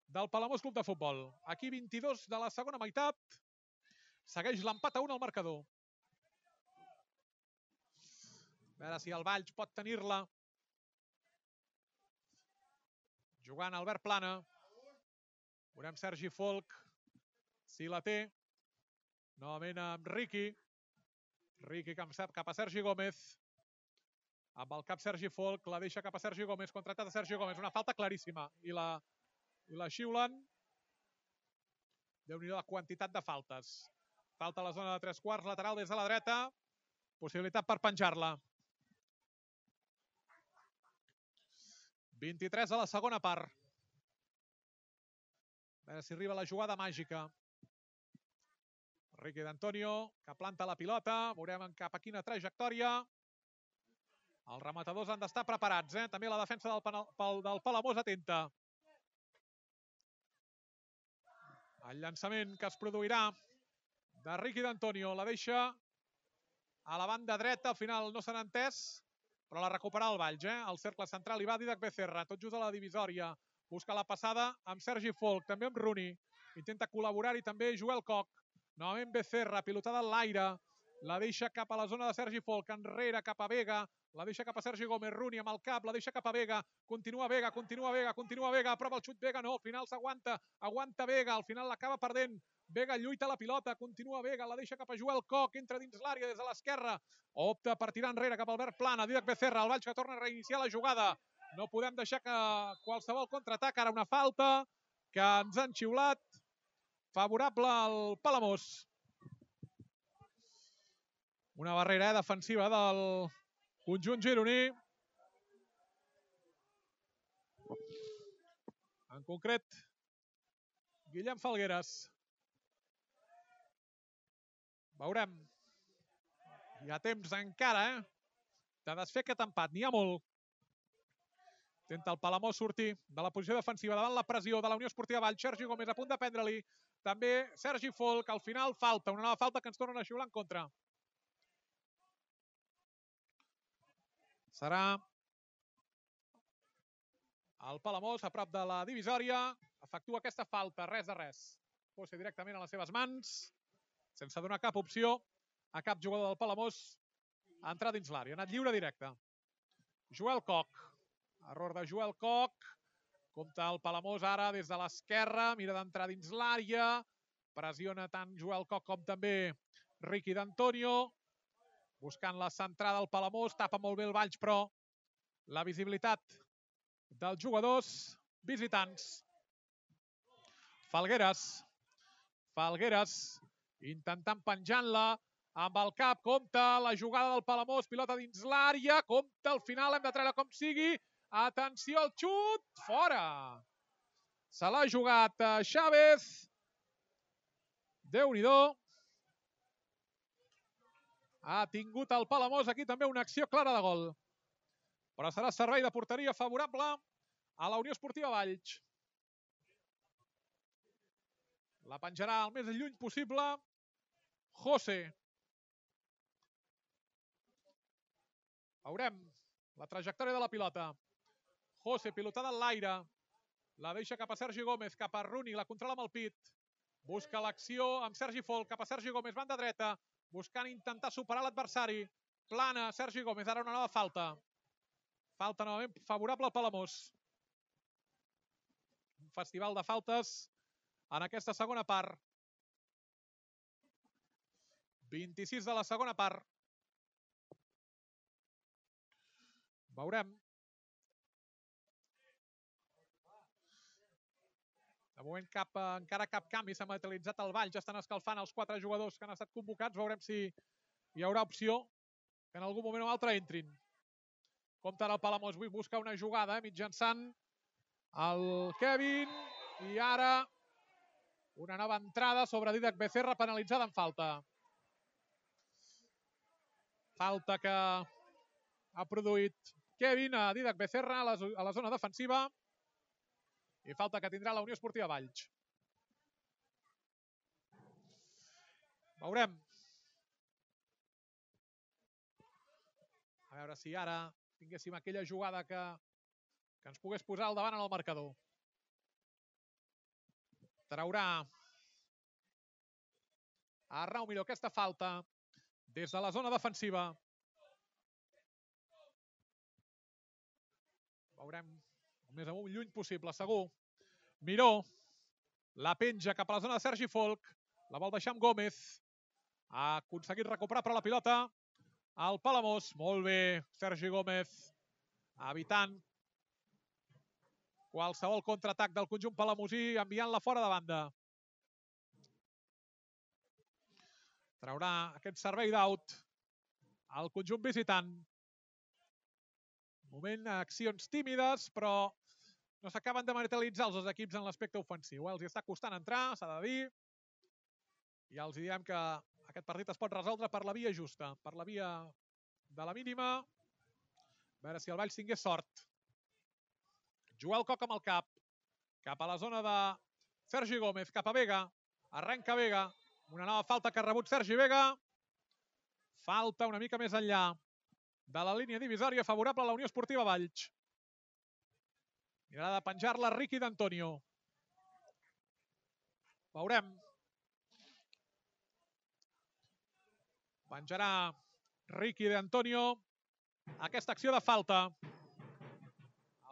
del Palamós Club de Futbol. Aquí vint-i-dos de la segona meitat. Segueix l'empat a un al marcador. A veure si el Valls pot tenir-la. Jugant Albert Plana. Veurem Sergi Folk, si la té. Novament amb Riqui. Riqui cap a Sergi Gómez. Amb el cap Sergi Folk, la deixa cap a Sergi Gómez, contratat a Sergi Gómez. Una falta claríssima. I la, i la xiulen. Déu-n'hi-do la quantitat de faltes. Falta a la zona de tres quarts, lateral des de la dreta. Possibilitat per penjar-la. vint-i-tres a la segona part. A veure si arriba la jugada màgica. Riqui d'Antonio, que planta la pilota. Veurem cap a quina trajectòria. Els rematadors han d'estar preparats, eh? També la defensa del, del Palamós atenta. El llançament que es produirà de Riqui d'Antonio. La deixa a la banda dreta. Al final no se n'ha entès, però la recupera el Valls, eh? Al cercle central hi va Didac Becerra, tot just a la divisòria. Busca la passada amb Sergi Folk, també amb Rooney. Intenta col·laborar-hi també Joel Koch. Novament Becerra, pilotada en l'aire. La deixa cap a la zona de Sergi Folk, enrere cap a Vega. La deixa cap a Sergi Gómez, Rooney amb el cap, la deixa cap a Vega. Continua Vega, continua Vega, continua Vega. Prova el xut Vega, no, al final s'aguanta. Aguanta Vega, al final l'acaba perdent. Vega lluita la pilota, continua Vega, la deixa cap a Joel Koch, entra dins l'àrea des de l'esquerra. Opta per tirar enrere cap a Albert Plana, Didac Becerra, el Valls que torna a reiniciar la jugada. No podem deixar que qualsevol contraatac, ara una falta que ens han xiulat. Favorable al Palamós. Una barrera eh, defensiva del conjunt gironí. En concret, Guillem Falgueres. Veurem. Hi ha temps encara, eh? De desfer aquest empat. N'hi ha molt. Intenta el Palamós sortir de la posició defensiva davant la pressió de la Unió Esportiva Valls. Sergi Gómez a punt de prendre-li. També Sergi Folk. Al final falta. Una nova falta que ens tornen a xiular en contra. Serà el Palamós a prop de la divisòria. Efectua aquesta falta. Res de res. Posa directament a les seves mans. Sense donar cap opció a cap jugador del Palamós a entrar dins l'àrea. Ha anat lliure directe. Joel Koch. Error de Joel Koch. Compta el Palamós ara des de l'esquerra. Mira d'entrar dins l'àrea. Pressiona tant Joel Koch com també Riqui d'Antonio. Buscant la centrada del Palamós. Tapa molt bé el Valls, però la visibilitat dels jugadors visitants. Falgueres. Falgueres. Intentant penjant-la amb el cap. Compta la jugada del Palamós. Pilota dins l'àrea. Compta al final. Hem de treure com sigui. Atenció al xut. Fora. Se l'ha jugat Chávez. Déu-n'hi-do. Ha tingut el Palamós aquí també una acció clara de gol. Però serà servei de porteria favorable a la Unió Esportiva Valls. La penjarà el més lluny possible José. Veurem la trajectòria de la pilota. José, pilotada en l'aire. La deixa cap a Sergi Gómez, cap a Rooney, la controla amb el pit. Busca l'acció amb Sergi Folk, cap a Sergi Gómez, banda dreta. Buscant intentar superar l'adversari. Plana, Sergi Gómez, ara una nova falta. Falta novament favorable al Palamós. Un festival de faltes en aquesta segona part. vint-i-sis de la segona part. Veurem. De moment cap, encara cap canvi. S'ha materialitzat el Valls. Ja estan escalfant els quatre jugadors que han estat convocats. Veurem si hi haurà opció que en algun moment o altre entrin. Compte ara el Palamós. Avui busca una jugada eh, mitjançant el Kevin. I ara una nova entrada sobre Didac Becerra penalitzada en falta. Falta que ha produït Kevin a Didac Becerra a la, a la zona defensiva. I falta que tindrà la Unió Esportiva Valls. Veurem. A veure si ara tinguéssim aquella jugada que, que ens pogués posar al davant en el marcador. Traurà Arnau Miró aquesta falta des de la zona defensiva. Veurem el més amunt lluny possible, segur. Miró la penja cap a la zona de Sergi Folk. La vol deixar amb Gómez. Ha aconseguit recuperar però la pilota al Palamós. Molt bé, Sergi Gómez, evitant qualsevol contraatac del conjunt palamosí, enviant-la fora de banda. Traurà aquest servei d'aut al conjunt visitant. Moment, accions tímides, però no s'acaben de materialitzar els dos equips en l'aspecte ofensiu. Els hi està costant entrar, s'ha de dir. I els diem que aquest partit es pot resoldre per la via justa, per la via de la mínima. A veure si el Valls tingués sort. Joel Coc amb el cap, cap a la zona de Sergi Gómez, cap a Vega. Arrenca Vega, una nova falta que ha rebut Sergi Vega. Falta una mica més enllà de la línia divisòria, favorable a la Unió Esportiva Valls. Mirarà de penjar-la Riqui d'Antonio. Veurem. Penjarà Riqui d'Antonio aquesta acció de falta.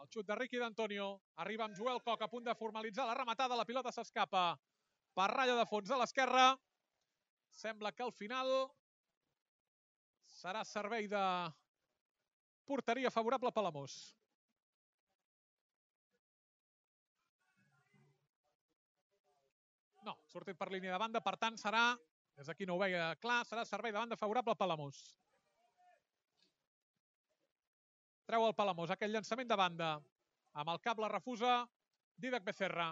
El xut de Riqui d'Antonio arriba amb Joel Coc a punt de formalitzar la rematada. La pilota s'escapa per ratlla de fons a l'esquerra. Sembla que al final serà servei de porteria favorable a Palamós. No, sortit per línia de banda, per tant serà, des d'aquí no ho veia clar, serà servei de banda favorable a Palamós. Treu el Palamós, aquell llançament de banda. Amb el cap la refusa Dídac Becerra.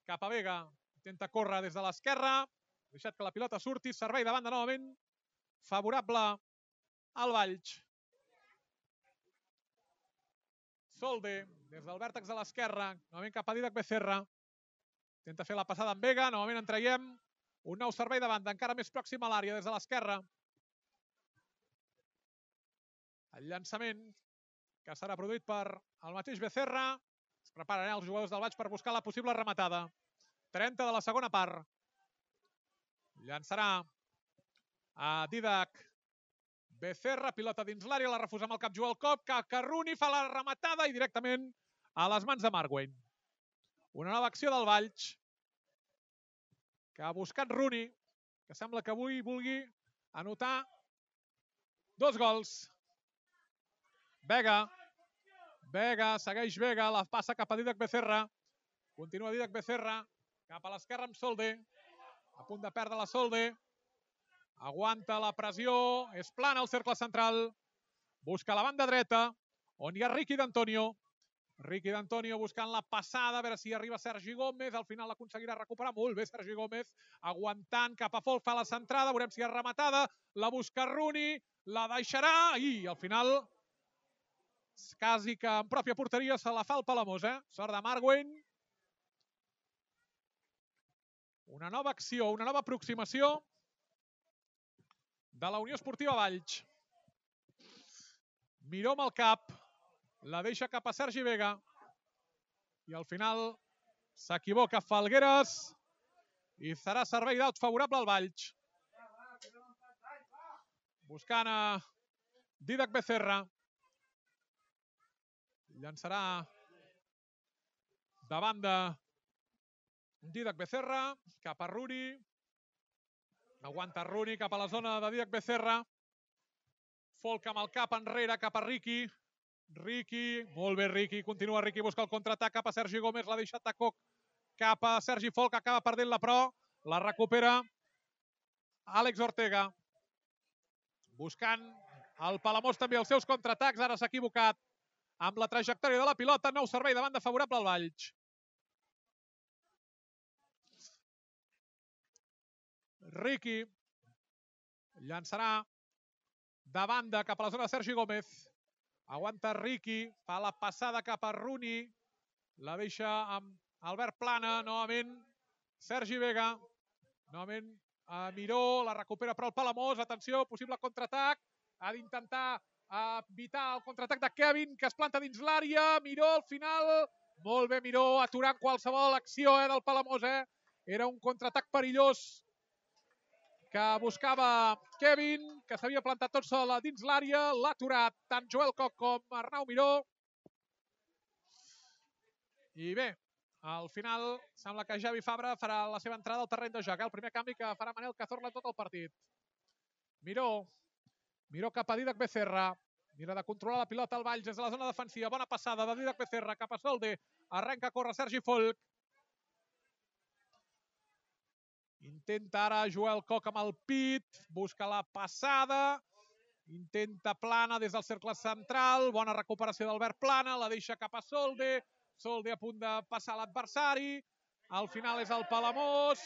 Cap a Vega, intenta córrer des de l'esquerra. Ha deixat que la pilota surti, servei de banda novament favorable al Valls. Solde, des del vèrtex de l'esquerra, novament cap a Dídac Becerra. Intenta fer la passada amb Vega, novament en traiem un nou servei de banda, encara més pròxim a l'àrea des de l'esquerra. El llançament que serà produït per el mateix Becerra. Es preparen els jugadors del Valls per buscar la possible rematada. trenta de la segona part. Llançarà a Dídac Becerra, pilota dins l'àrea, la refusa amb el cap Joel Coc, que Rooney fa la rematada i directament a les mans de Margueny. Una nova acció del Valls, que ha buscat Rooney, que sembla que avui vulgui anotar dos gols. Vega, Vega, segueix Vega, la passa cap a Dídac Becerra. Continua Dídac Becerra, cap a l'esquerra amb Solde. A punt de perdre la Solde. Aguanta la pressió, és plana al cercle central. Busca la banda dreta, on hi ha Riqui d'Antonio. Riqui d'Antonio buscant la passada, a veure si arriba Sergi Gómez. Al final l'aconseguirà recuperar. Molt bé Sergi Gómez, aguantant cap a Folk, fa la centrada. Veurem si és rematada. La busca Rooney, la deixarà i al final quasi que en pròpia porteria se la fa el Palamós, eh? Sort de Margueny. Una nova acció, una nova aproximació de la Unió Esportiva Valls. Miró amb el cap, la deixa cap a Sergi Vega i al final s'equivoca Falgueres i serà servei d'aut favorable al Valls. Buscant a Dídac Becerra. Llançarà de banda Dídac Becerra cap a Rooney. Aguanta Rooney cap a la zona de Dídac Becerra. Folk amb el cap enrere cap a Riqui. Riqui, molt bé Riqui, continua Riqui, busca el contraatac cap a Sergi Gómez, l'ha deixat a Coc cap a Sergi Folk, acaba perdent-la però la recupera Àlex Ortega. Buscant el Palamós també els seus contraatacs, ara s'ha equivocat amb la trajectòria de la pilota, nou servei de banda favorable al Valls. Riqui llançarà de banda cap a la zona de Sergi Gómez. Aguanta Riqui, fa la passada cap a Rooney, la deixa amb Albert Plana, novament Sergi Vega, novament a Miró, la recupera però el Palamós, atenció, possible contraatac, ha d'intentar evitar el contraatac de Kevin, que es planta dins l'àrea, Miró al final, molt bé Miró, aturant qualsevol acció eh, del Palamós, eh? Era un contraatac perillós que buscava Kevin, que s'havia plantat tot sol dins l'àrea. L'ha aturat tant Joel Koch com Arnau Miró. I bé, al final sembla que Javi Fabra farà la seva entrada al terreny de joc. El primer canvi que farà Manel Cazorla tot el partit. Miró. Miró cap a Didac Becerra. Mira de controlar la pilota al Valls des de la zona defensiva. Bona passada de Didac Becerra cap a Solde. Arrenca a córrer Sergi Folch. Intenta ara Joel Koch amb el pit. Busca la passada. Intenta Plana des del cercle central. Bona recuperació d'Albert Plana. La deixa cap a Solde. Solde a punt de passar l'adversari. Al final és el Palamós.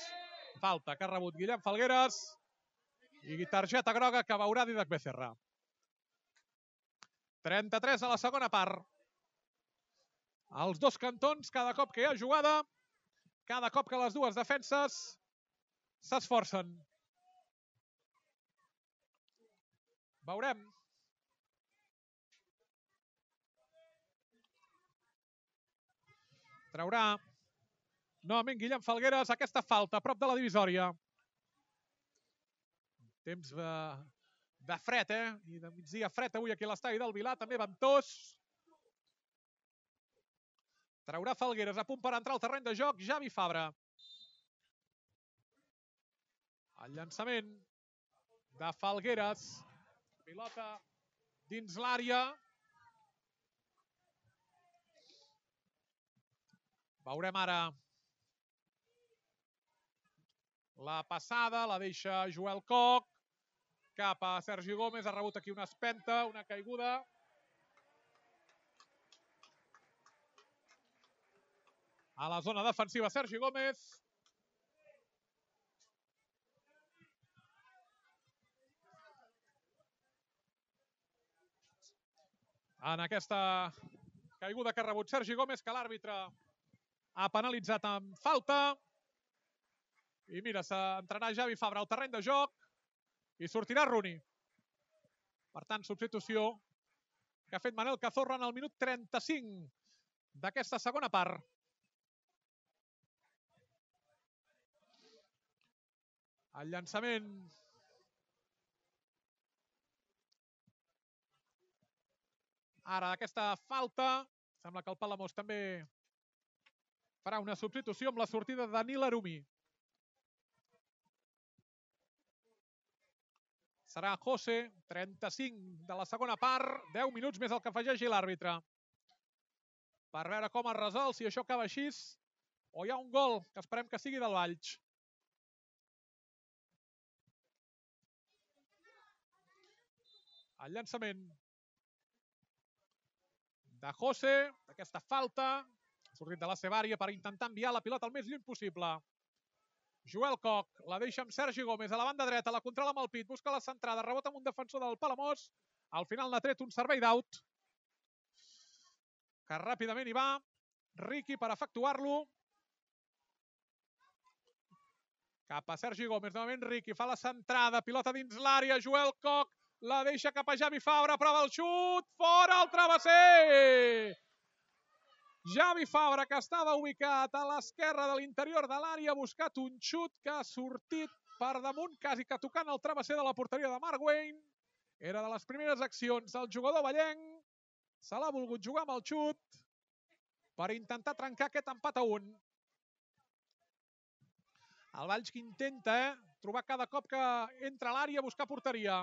Falta que ha rebut Guillem Falgueres. I targeta groga que veurà Didac Becerra. trenta-tres a la segona part. Els dos cantons, cada cop que hi ha jugada, cada cop que les dues defenses s'esforcen. Veurem. Traurà novament Guillem Falgueres aquesta falta a prop de la divisòria. Temps de, de fred, eh? I de migdia fred avui aquí a l'estadi del Vilar, també ventós. Traurà Falgueres a punt per entrar al terreny de joc Javi Fabra. El llançament de Falgueres. Pilota dins l'àrea. Veurem ara la passada, la deixa Joel Koch. Cap a Sergi Gómez, ha rebut aquí una espenta, una caiguda. A la zona defensiva Sergi Gómez. En aquesta caiguda que ha rebut Sergi Gómez, que l'àrbitre ha penalitzat amb falta. I mira, s'entrarà Javi Fabra al terreny de joc i sortirà Rooney. Per tant, substitució que ha fet Manel Cazorla en el minut trenta-cinc d'aquesta segona part. El llançament ara d'aquesta falta. Sembla que el Palamós també farà una substitució amb la sortida de Danil Arumi. Serà José, trenta-cinc de la segona part, deu minuts més el que afegeixi l'àrbitre. Per veure com es resol, si això acaba així, o hi ha un gol, que esperem que sigui del Valls. El llançament de José, aquesta falta, ha sortit de la seva àrea per intentar enviar la pilota el més lluny possible. Joel Koch, la deixa amb Sergi Gómez a la banda dreta, la controla amb el pit, busca la centrada, rebota amb un defensor del Palamós. Al final n'ha tret un servei d'aut, que ràpidament hi va Riqui per efectuar-lo. Cap a Sergi Gómez, novament Riqui, fa la centrada, pilota dins l'àrea, Joel Koch, la deixa cap a Javi Fabra, prova el xut, fora el travesser! Javi Fabra, que estava ubicat a l'esquerra de l'interior de l'àrea, ha buscat un xut que ha sortit per damunt, quasi que tocant el travesser de la porteria de Marc Wayne. Era de les primeres accions del jugador vallenc. Se l'ha volgut jugar amb el xut per intentar trencar aquest empat a un. El Valls que intenta eh, trobar cada cop que entra a l'àrea a buscar porteria.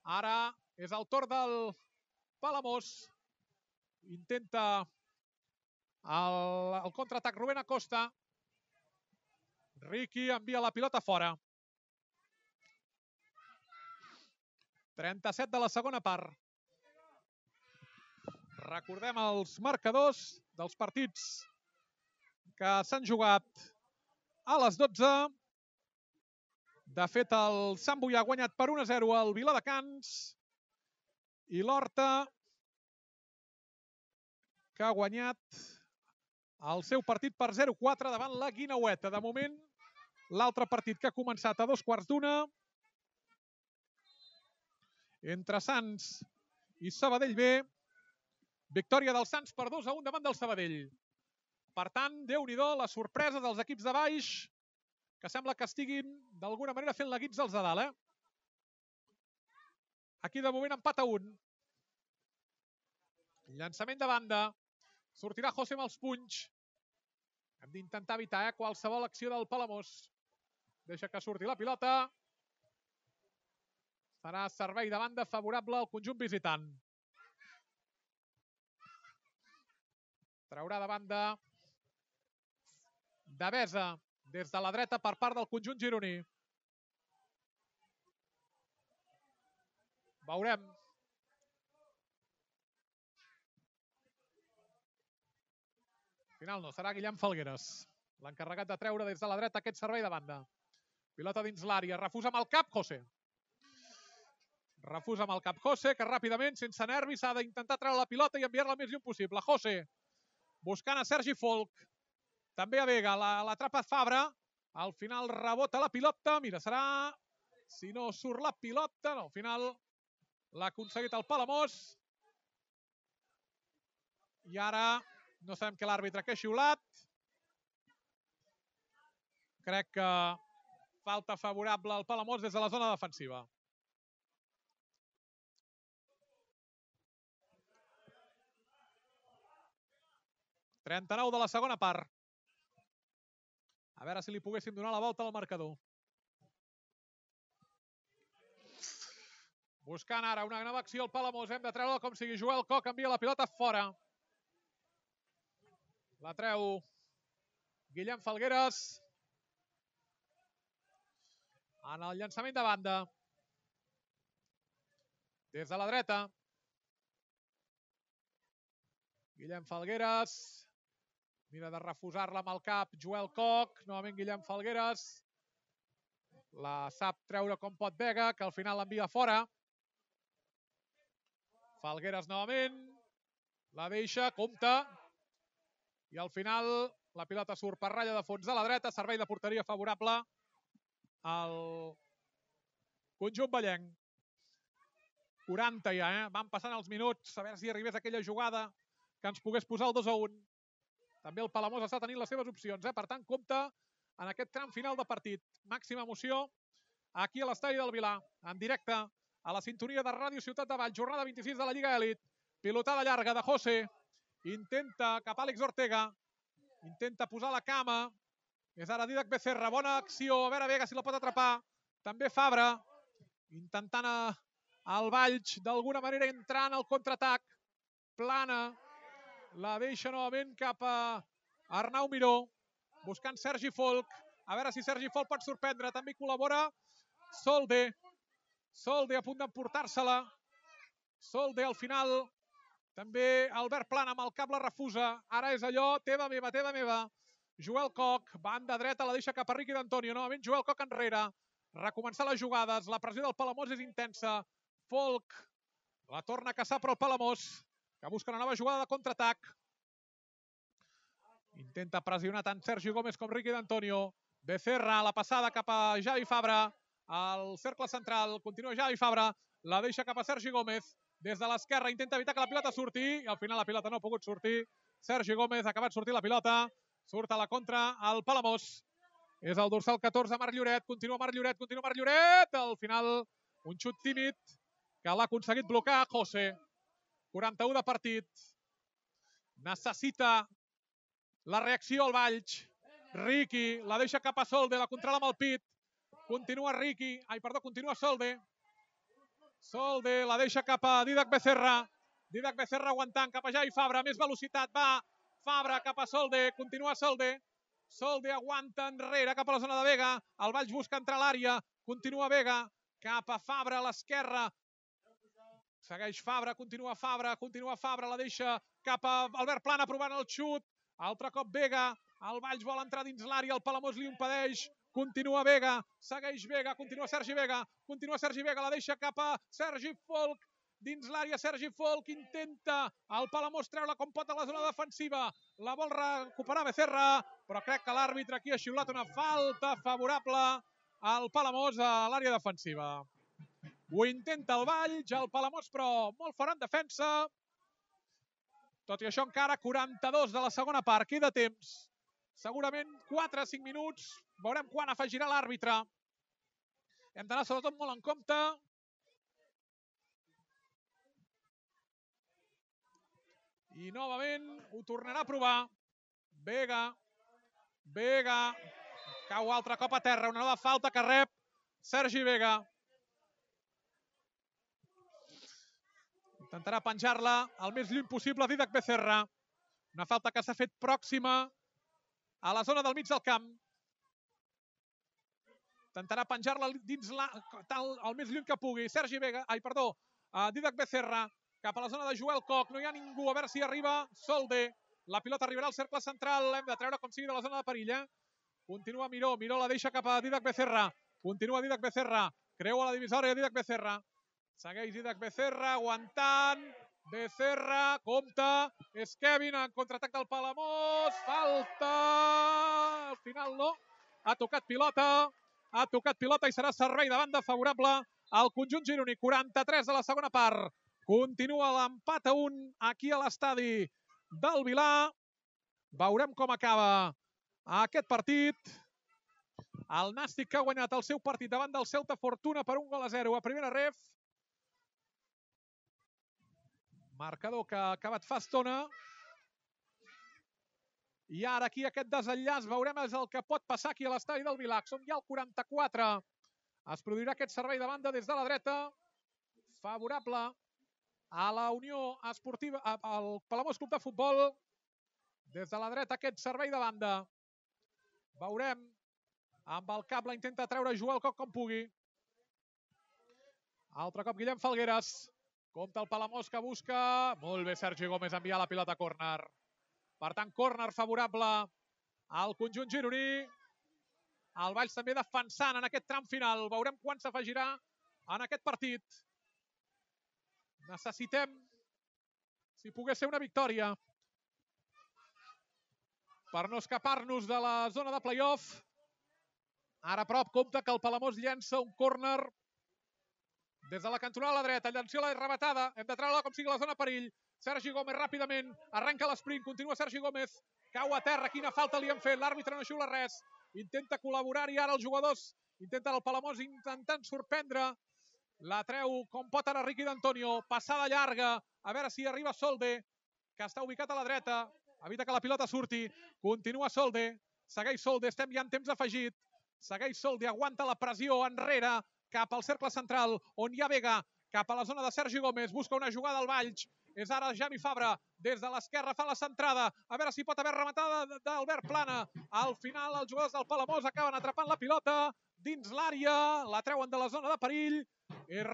Ara és el torn del Palamós. Intenta el, el contraatac Rubén Acosta. Riqui envia la pilota fora. trenta-set de la segona part. Recordem els marcadors dels partits que s'han jugat a les dotze. De fet, el Sant Boià ha guanyat per un a zero al Viladecans i l'Horta, que ha guanyat el seu partit per zero a quatre davant la Guineueta. De moment, l'altre partit que ha començat a dos quarts d'una entre Sants i Sabadell B. Victòria dels Sants per dos a un davant del Sabadell. Per tant, Déu-n'hi-do, la sorpresa dels equips de baix, que sembla que estiguin d'alguna manera fent la guitza als de dalt, eh? Aquí de moment empat a un. Llançament de banda. Sortirà José amb els punys. Hem d'intentar evitar eh, qualsevol acció del Palamós. Deixa que surti la pilota. Serà servei de banda favorable al conjunt visitant. Traurà de banda Devesa des de la dreta per part del conjunt gironí. Veurem. Al final no, serà Guillem Falgueres, l'encarregat de treure des de la dreta aquest servei de banda. Pilota dins l'àrea, refusa amb el cap José. Refusa amb el cap José, que ràpidament, sense nervis, ha d'intentar treure la pilota i enviar-la el més lluny possible. José, buscant a Sergi Folk, també a Vega, l'atrapa Fabra, al final rebota la pilota, mira, serà, si no surt la pilota, no, al final l'ha aconseguit el Palamós, i ara no sabem què l'àrbitre que ha xiulat. Crec que falta favorable al Palamós des de la zona defensiva. trenta-nou de la segona part. A veure si li poguéssim donar la volta al marcador. Buscant ara una nova acció al Palamós. Hem de treure com sigui. Joel Coc envia la pilota fora. La treu Guillem Falgueres. En el llançament de banda. Des de la dreta. Guillem Falgueres. Mira de refusar-la amb el cap Joel Coc. Novament Guillem Falgueres. La sap treure com pot Vega, que al final l'envia fora. Falgueres novament. La deixa, compta. I al final la pilota surt per ratlla de fons de la dreta. Servei de porteria favorable al conjunt ballenc. quaranta ja, eh? Van passant els minuts. A veure si arribés aquella jugada que ens pogués posar el dos a un. També el Palamós està tenint les seves opcions, eh? Per tant, compta en aquest tram final de partit. Màxima emoció aquí a l'estadi del Vilar, en directe a la sintonia de Ràdio Ciutat de Valls. Jornada vint-i-sis de la Lliga Elit. Pilotada llarga de José. Intenta cap a Àlex Ortega. Intenta posar la cama. És ara Didac Becerra. Bona acció. A veure Vega si la pot atrapar. També Fabra. Intentant el Valls d'alguna manera entrar en el contraatac. Plana. La deixa novament cap a Arnau Miró, buscant Sergi Folk. A veure si Sergi Folk pot sorprendre. També col·labora Solde. Solde a punt d'emportar-se-la. Solde al final. També Albert Plana amb el cap la refusa. Ara és allò, teva meva, teva meva. Joel Coc, banda dreta, la deixa cap a Riqui d'Antonio. Novament Joel Coc enrere. Recomençar les jugades. La pressió del Palamós és intensa. Folk la torna a caçar però el Palamós, que busca una nova jugada de contraatac. Intenta pressionar tant Sergi Gómez com Riqui d'Antonio. Becerra, la passada cap a Javi Fabra. Al cercle central, continua Javi Fabra. La deixa cap a Sergi Gómez. Des de l'esquerra intenta evitar que la pilota surti. I al final la pilota no ha pogut sortir. Sergi Gómez ha acabat sortir la pilota. Surt a la contra el Palamós. És el dorsal catorze, Marc Lloret. Continua Marc Lloret, continua Marc Lloret. Al final, un xut tímid que l'ha aconseguit blocar José. quaranta-u de partit. Necessita la reacció al Valls. Riqui la deixa cap a Solde, la controla amb el pit. Continua Riqui, ai perdó, continua Solde. Solde la deixa cap a Didac Becerra. Didac Becerra aguantant cap a Javi Fabra, més velocitat, va Fabra cap a Solde, continua Solde. Solde aguanta enrere cap a la zona de Vega. El Valls busca entrar a l'àrea, continua Vega cap a Fabra a l'esquerra. Segueix Fabra, continua Fabra, continua Fabra, la deixa cap a Albert Plana provant el xut. Altre cop Vega, el Valls vol entrar dins l'àrea, el Palamós li impedeix. Continua Vega, segueix Vega, continua Sergi Vega, continua Sergi Vega, la deixa cap a Sergi Folk. Dins l'àrea Sergi Folk intenta el Palamós treure com pot a la zona defensiva. La vol recuperar Becerra, però crec que l'àrbitre aquí ha xiulat una falta favorable al Palamós a l'àrea defensiva. Ho intenta el Valls, el Palamós però molt fora en defensa. Tot i això, encara quaranta-dos de la segona part. Queda temps. Segurament quatre a cinc minuts. Veurem quan afegirà l'àrbitre. Hem d'anar sobretot molt en compte. I novament ho tornarà a provar. Vega. Vega. Cau altre cop a terra. Una nova falta que rep Sergi Vega. Intentarà penjar-la el més lluny possible Dídac Becerra. Una falta que s'ha fet pròxima a la zona del mig del camp. Intentarà penjar-la dins la, tal, el més lluny que pugui. Sergi Vega, ai, perdó, uh, Dídac Becerra, cap a la zona de Joel Koch. No hi ha ningú, a veure si arriba Solde. La pilota arribarà al cercle central. Hem de treure com sigui de la zona de perill. Eh? Continua Miró. Miró la deixa cap a Dídac Becerra. Continua Dídac Becerra. Creua la divisòria Dídac Becerra. Segueix Dídac Becerra, aguantant. Becerra, compta. És Kevin en contraatac del Palamós. Falta. Al final no. Ha tocat pilota. Ha tocat pilota i serà servei de banda favorable al conjunt gironí. quaranta-tres de la segona part. Continua l'empat a un aquí a l'estadi del Vilà. Veurem com acaba aquest partit. El Nàstic que ha guanyat el seu partit davant del Celta Fortuna per un gol a zero a primera ref. Marcador que ha acabat fa estona. I ara aquí aquest desenllaç veurem és el que pot passar aquí a l'estadi del Vilà. Som ja al quaranta-quatre. Es produirà aquest servei de banda des de la dreta. Favorable a la Unió Esportiva, al Palamós Club de Futbol. Des de la dreta aquest servei de banda. Veurem. Amb el cap la intenta treure Joel Koch com pugui. Altre cop Guillem Falgueres. Compte el Palamós que busca. Molt bé Sergi Gómez enviar la pilota a córner. Per tant, córner favorable al conjunt gironí. El Valls també defensant en aquest tram final. Veurem quan s'afegirà en aquest partit. Necessitem, si pogués ser una victòria, per no escapar-nos de la zona de play-off. Ara a prop, compte que el Palamós llença un córner des de la cantonada a la dreta. Llenció la rematada. Hem de treure-la com sigui la zona perill. Sergi Gómez ràpidament. Arrenca l'esprint. Continua Sergi Gómez. Cau a terra. Quina falta li han fet. L'àrbitre no xiula res. Intenta col·laborar-hi ara els jugadors. Intenten el Palamós intentant sorprendre. La treu com pot ara Riqui d'Antonio. Passada llarga. A veure si arriba Solde, que està ubicat a la dreta. Evita que la pilota surti. Continua Solde. Segueix Solde. Estem ja en temps afegit. Segueix Solde. Aguanta la pressió enrere cap al cercle central, on hi ha Vega, cap a la zona de Sergi Gómez, busca una jugada al Valls, és ara Javi Fabra, des de l'esquerra fa la centrada, a veure si pot haver rematada d'Albert Plana. Al final els jugadors del Palamós acaben atrapant la pilota dins l'àrea, la treuen de la zona de perill,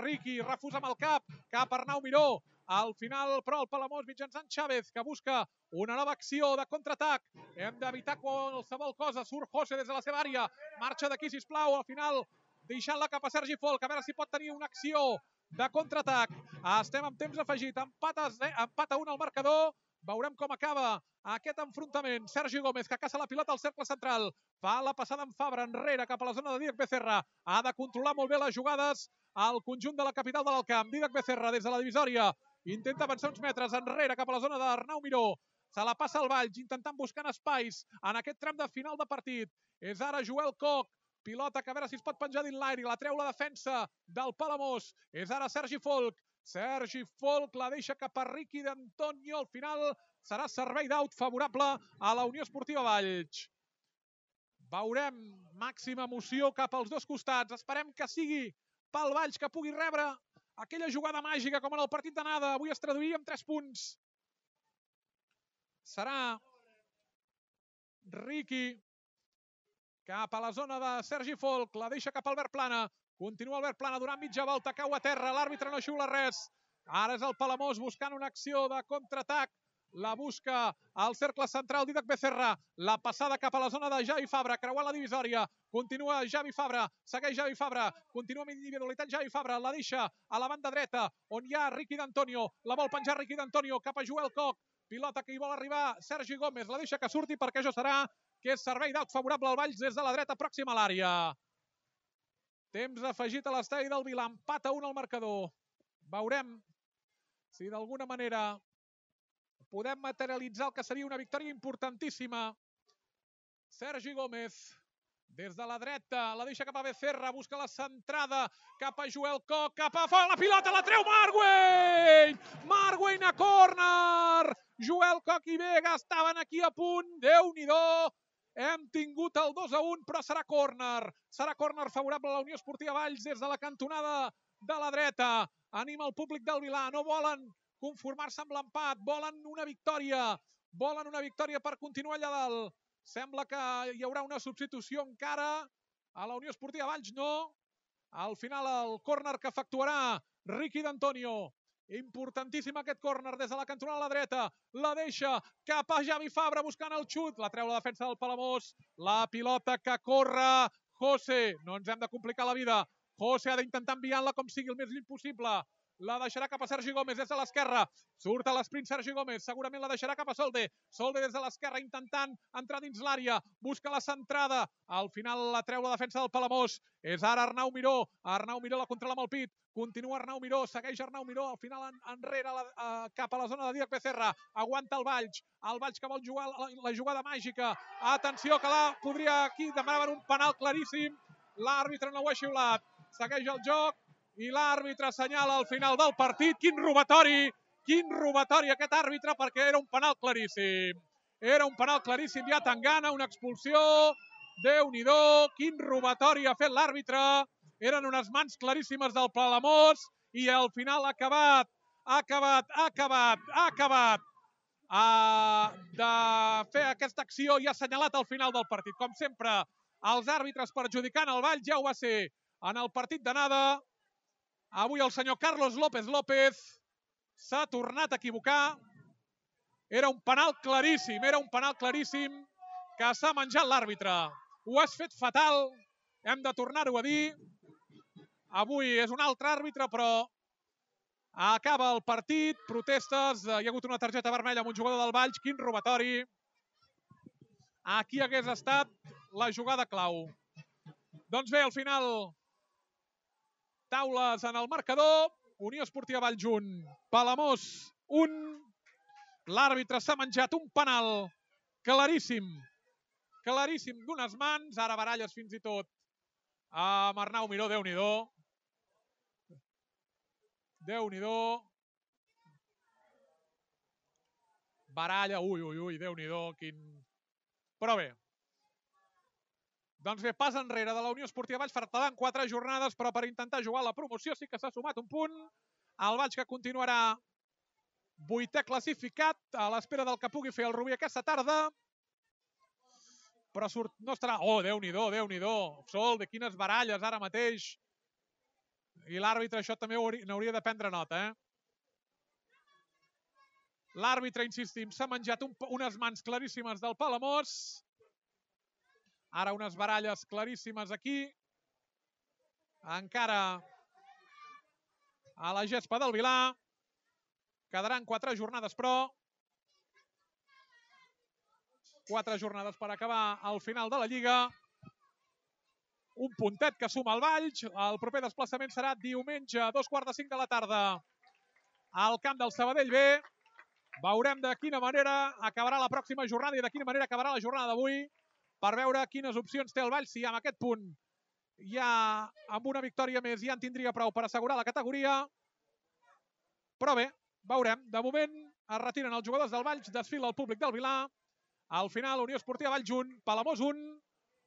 Riqui refusa amb el cap, cap a Arnau Miró. Al final, però, el Palamós mitjançant Chávez, que busca una nova acció de contraatac. Hem d'evitar qualsevol cosa. Surt José des de la seva àrea, marxa d'aquí, sisplau, al final deixant-la cap a Sergi Folk, a veure si pot tenir una acció de contraatac. Estem en temps afegit, empat a, empat a un al marcador. Veurem com acaba aquest enfrontament. Sergi Gómez, que caça la pilota al cercle central. Fa la passada en Fabra, enrere, cap a la zona de Dídac Becerra. Ha de controlar molt bé les jugades al conjunt de la capital de l'Alcamp. Dídac Becerra, des de la divisòria, intenta avançar uns metres enrere, cap a la zona d'Arnau Miró. Se la passa al Valls, intentant buscar espais en aquest tram de final de partit. És ara Joel Koch. Pilota que a veure si es pot penjar dins l'aire. La treu la defensa del Palamós. És ara Sergi Folk. Sergi Folk la deixa cap a Riqui d'Antonio. Al final serà servei d'aut favorable a la Unió Esportiva Valls. Veurem màxima emoció cap als dos costats. Esperem que sigui pel Valls que pugui rebre aquella jugada màgica com en el partit d'anada. Avui es traduiria en tres punts. Serà Riqui cap a la zona de Sergi Folk, la deixa cap a Albert Plana. Continua Albert Plana durant mitja volta, cau a terra, l'àrbitre no xiula res. Ara és el Palamós buscant una acció de contraatac. La busca al cercle central Dídac Becerra. La passada cap a la zona de Javi Fabra, creuant la divisòria. Continua Javi Fabra, segueix Javi Fabra. Continua amb individualitat Javi Fabra, la deixa a la banda dreta, on hi ha Riqui d'Antonio. La vol penjar Riqui d'Antonio cap a Joel Koch. Pilota que hi vol arribar Sergi Gómez, la deixa que surti perquè això serà que és servei d'aut favorable al Valls des de la dreta pròxima a l'àrea. Temps afegit a l'estadi del Vilà, empat a un al marcador. Veurem si d'alguna manera podem materialitzar el que seria una victòria importantíssima. Sergi Gómez, des de la dreta, la deixa cap a Becerra, busca la centrada, cap a Joel Koch, cap a fora, la pilota la treu Marguell! Marguell a córner! Joel Koch i Vega estaven aquí a punt, Déu-n'hi-do! Hem tingut el dos a un, però serà córner. Serà córner favorable a la Unió Esportiva Valls des de la cantonada de la dreta. Anima el públic del Vilà, no volen conformar-se amb l'empat, volen una victòria, volen una victòria per continuar allà dalt. Sembla que hi haurà una substitució encara a la Unió Esportiva Valls, no. Al final el córner que efectuarà Riqui d'Antonio. Importantíssim aquest córner des de la cantonada a la dreta. La deixa cap a Javi Fabra buscant el xut. La treu la defensa del Palamós. La pilota que corre José. No ens hem de complicar la vida. José ha d'intentar enviar-la com sigui el més lluny possible. La deixarà cap a Sergi Gómez des de l'esquerra. Surt a l'esprint Sergi Gómez. Segurament la deixarà cap a Solde. Solde des de l'esquerra intentant entrar dins l'àrea. Busca la centrada. Al final la treu la defensa del Palamós. És ara Arnau Miró. Arnau Miró la controla amb el pit. Continua Arnau Miró. Segueix Arnau Miró. Al final en, enrere la, uh, cap a la zona de Díaz Becerra. Aguanta el Valls. El Valls que vol jugar la, la jugada màgica. Atenció que la podria aquí demanar un penal claríssim. L'àrbitre no ho ha xiulat. Segueix el joc. I l'àrbitre assenyala al final del partit. Quin robatori, quin robatori aquest àrbitre, perquè era un penal claríssim. Era un penal claríssim, ja Tangana, una expulsió. Déu-n'hi-do, quin robatori ha fet l'àrbitre. Eren unes mans claríssimes del Palamós i al final ha acabat, ha acabat, ha acabat, ha acabat uh, de fer aquesta acció i ha assenyalat al final del partit. Com sempre, els àrbitres perjudicant el Valls, ja ho va ser en el partit d'anada. Avui el senyor Carlos López López s'ha tornat a equivocar. Era un penal claríssim, era un penal claríssim que s'ha menjat l'àrbitre. Ho has fet fatal, hem de tornar-ho a dir. Avui és un altre àrbitre, però acaba el partit, protestes, hi ha hagut una targeta vermella amb un jugador del Valls, quin robatori. Aquí hagués estat la jugada clau. Doncs bé, al final... Taules en el marcador, Unió Esportiva Valls un, Palamós un. L'àrbitre s'ha menjat un penal claríssim, claríssim d'unes mans, ara baralles fins i tot amb Arnau Miró, Déu-n'hi-do. Déu-n'hi-do. Baralla, ui, ui, ui, Déu-n'hi-do, quin... Però bé. Doncs bé, pas enrere de la Unió Esportiva Valls, faltaran quatre jornades, però per intentar jugar la promoció sí que s'ha sumat un punt. El Valls que continuarà vuitè classificat, a l'espera del que pugui fer el Rubí aquesta tarda. Però surt, no estarà... Oh, Déu-n'hi-do, Déu-n'hi-do. Sol, de quines baralles ara mateix. I l'àrbitre això també n'hauria de prendre nota, eh? L'àrbitre, insistim, s'ha menjat un, unes mans claríssimes del Palamós. Ara unes baralles claríssimes aquí. Encara a la gespa del Vilà. Quedaran quatre jornades, però. Quatre jornades per acabar al final de la Lliga. Un puntet que suma el Valls. El proper desplaçament serà diumenge a dos quarts de cinc de la tarda al camp del Sabadell B. Veurem de quina manera acabarà la pròxima jornada i de quina manera acabarà la jornada d'avui, per veure quines opcions té el Valls, si amb aquest punt ja amb una victòria més ja en tindria prou per assegurar la categoria. Però bé, veurem. De moment es retiren els jugadors del Valls, desfila el públic del Vilà. Al final, Unió Esportiva Valls un, Palamós un.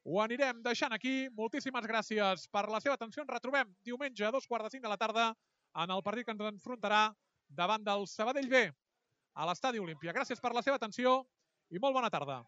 Ho anirem deixant aquí. Moltíssimes gràcies per la seva atenció. Ens retrobem diumenge a dos quarts de cinc de la tarda en el partit que ens enfrontarà davant del Sabadell B a l'Estadi Olímpia. Gràcies per la seva atenció i molt bona tarda.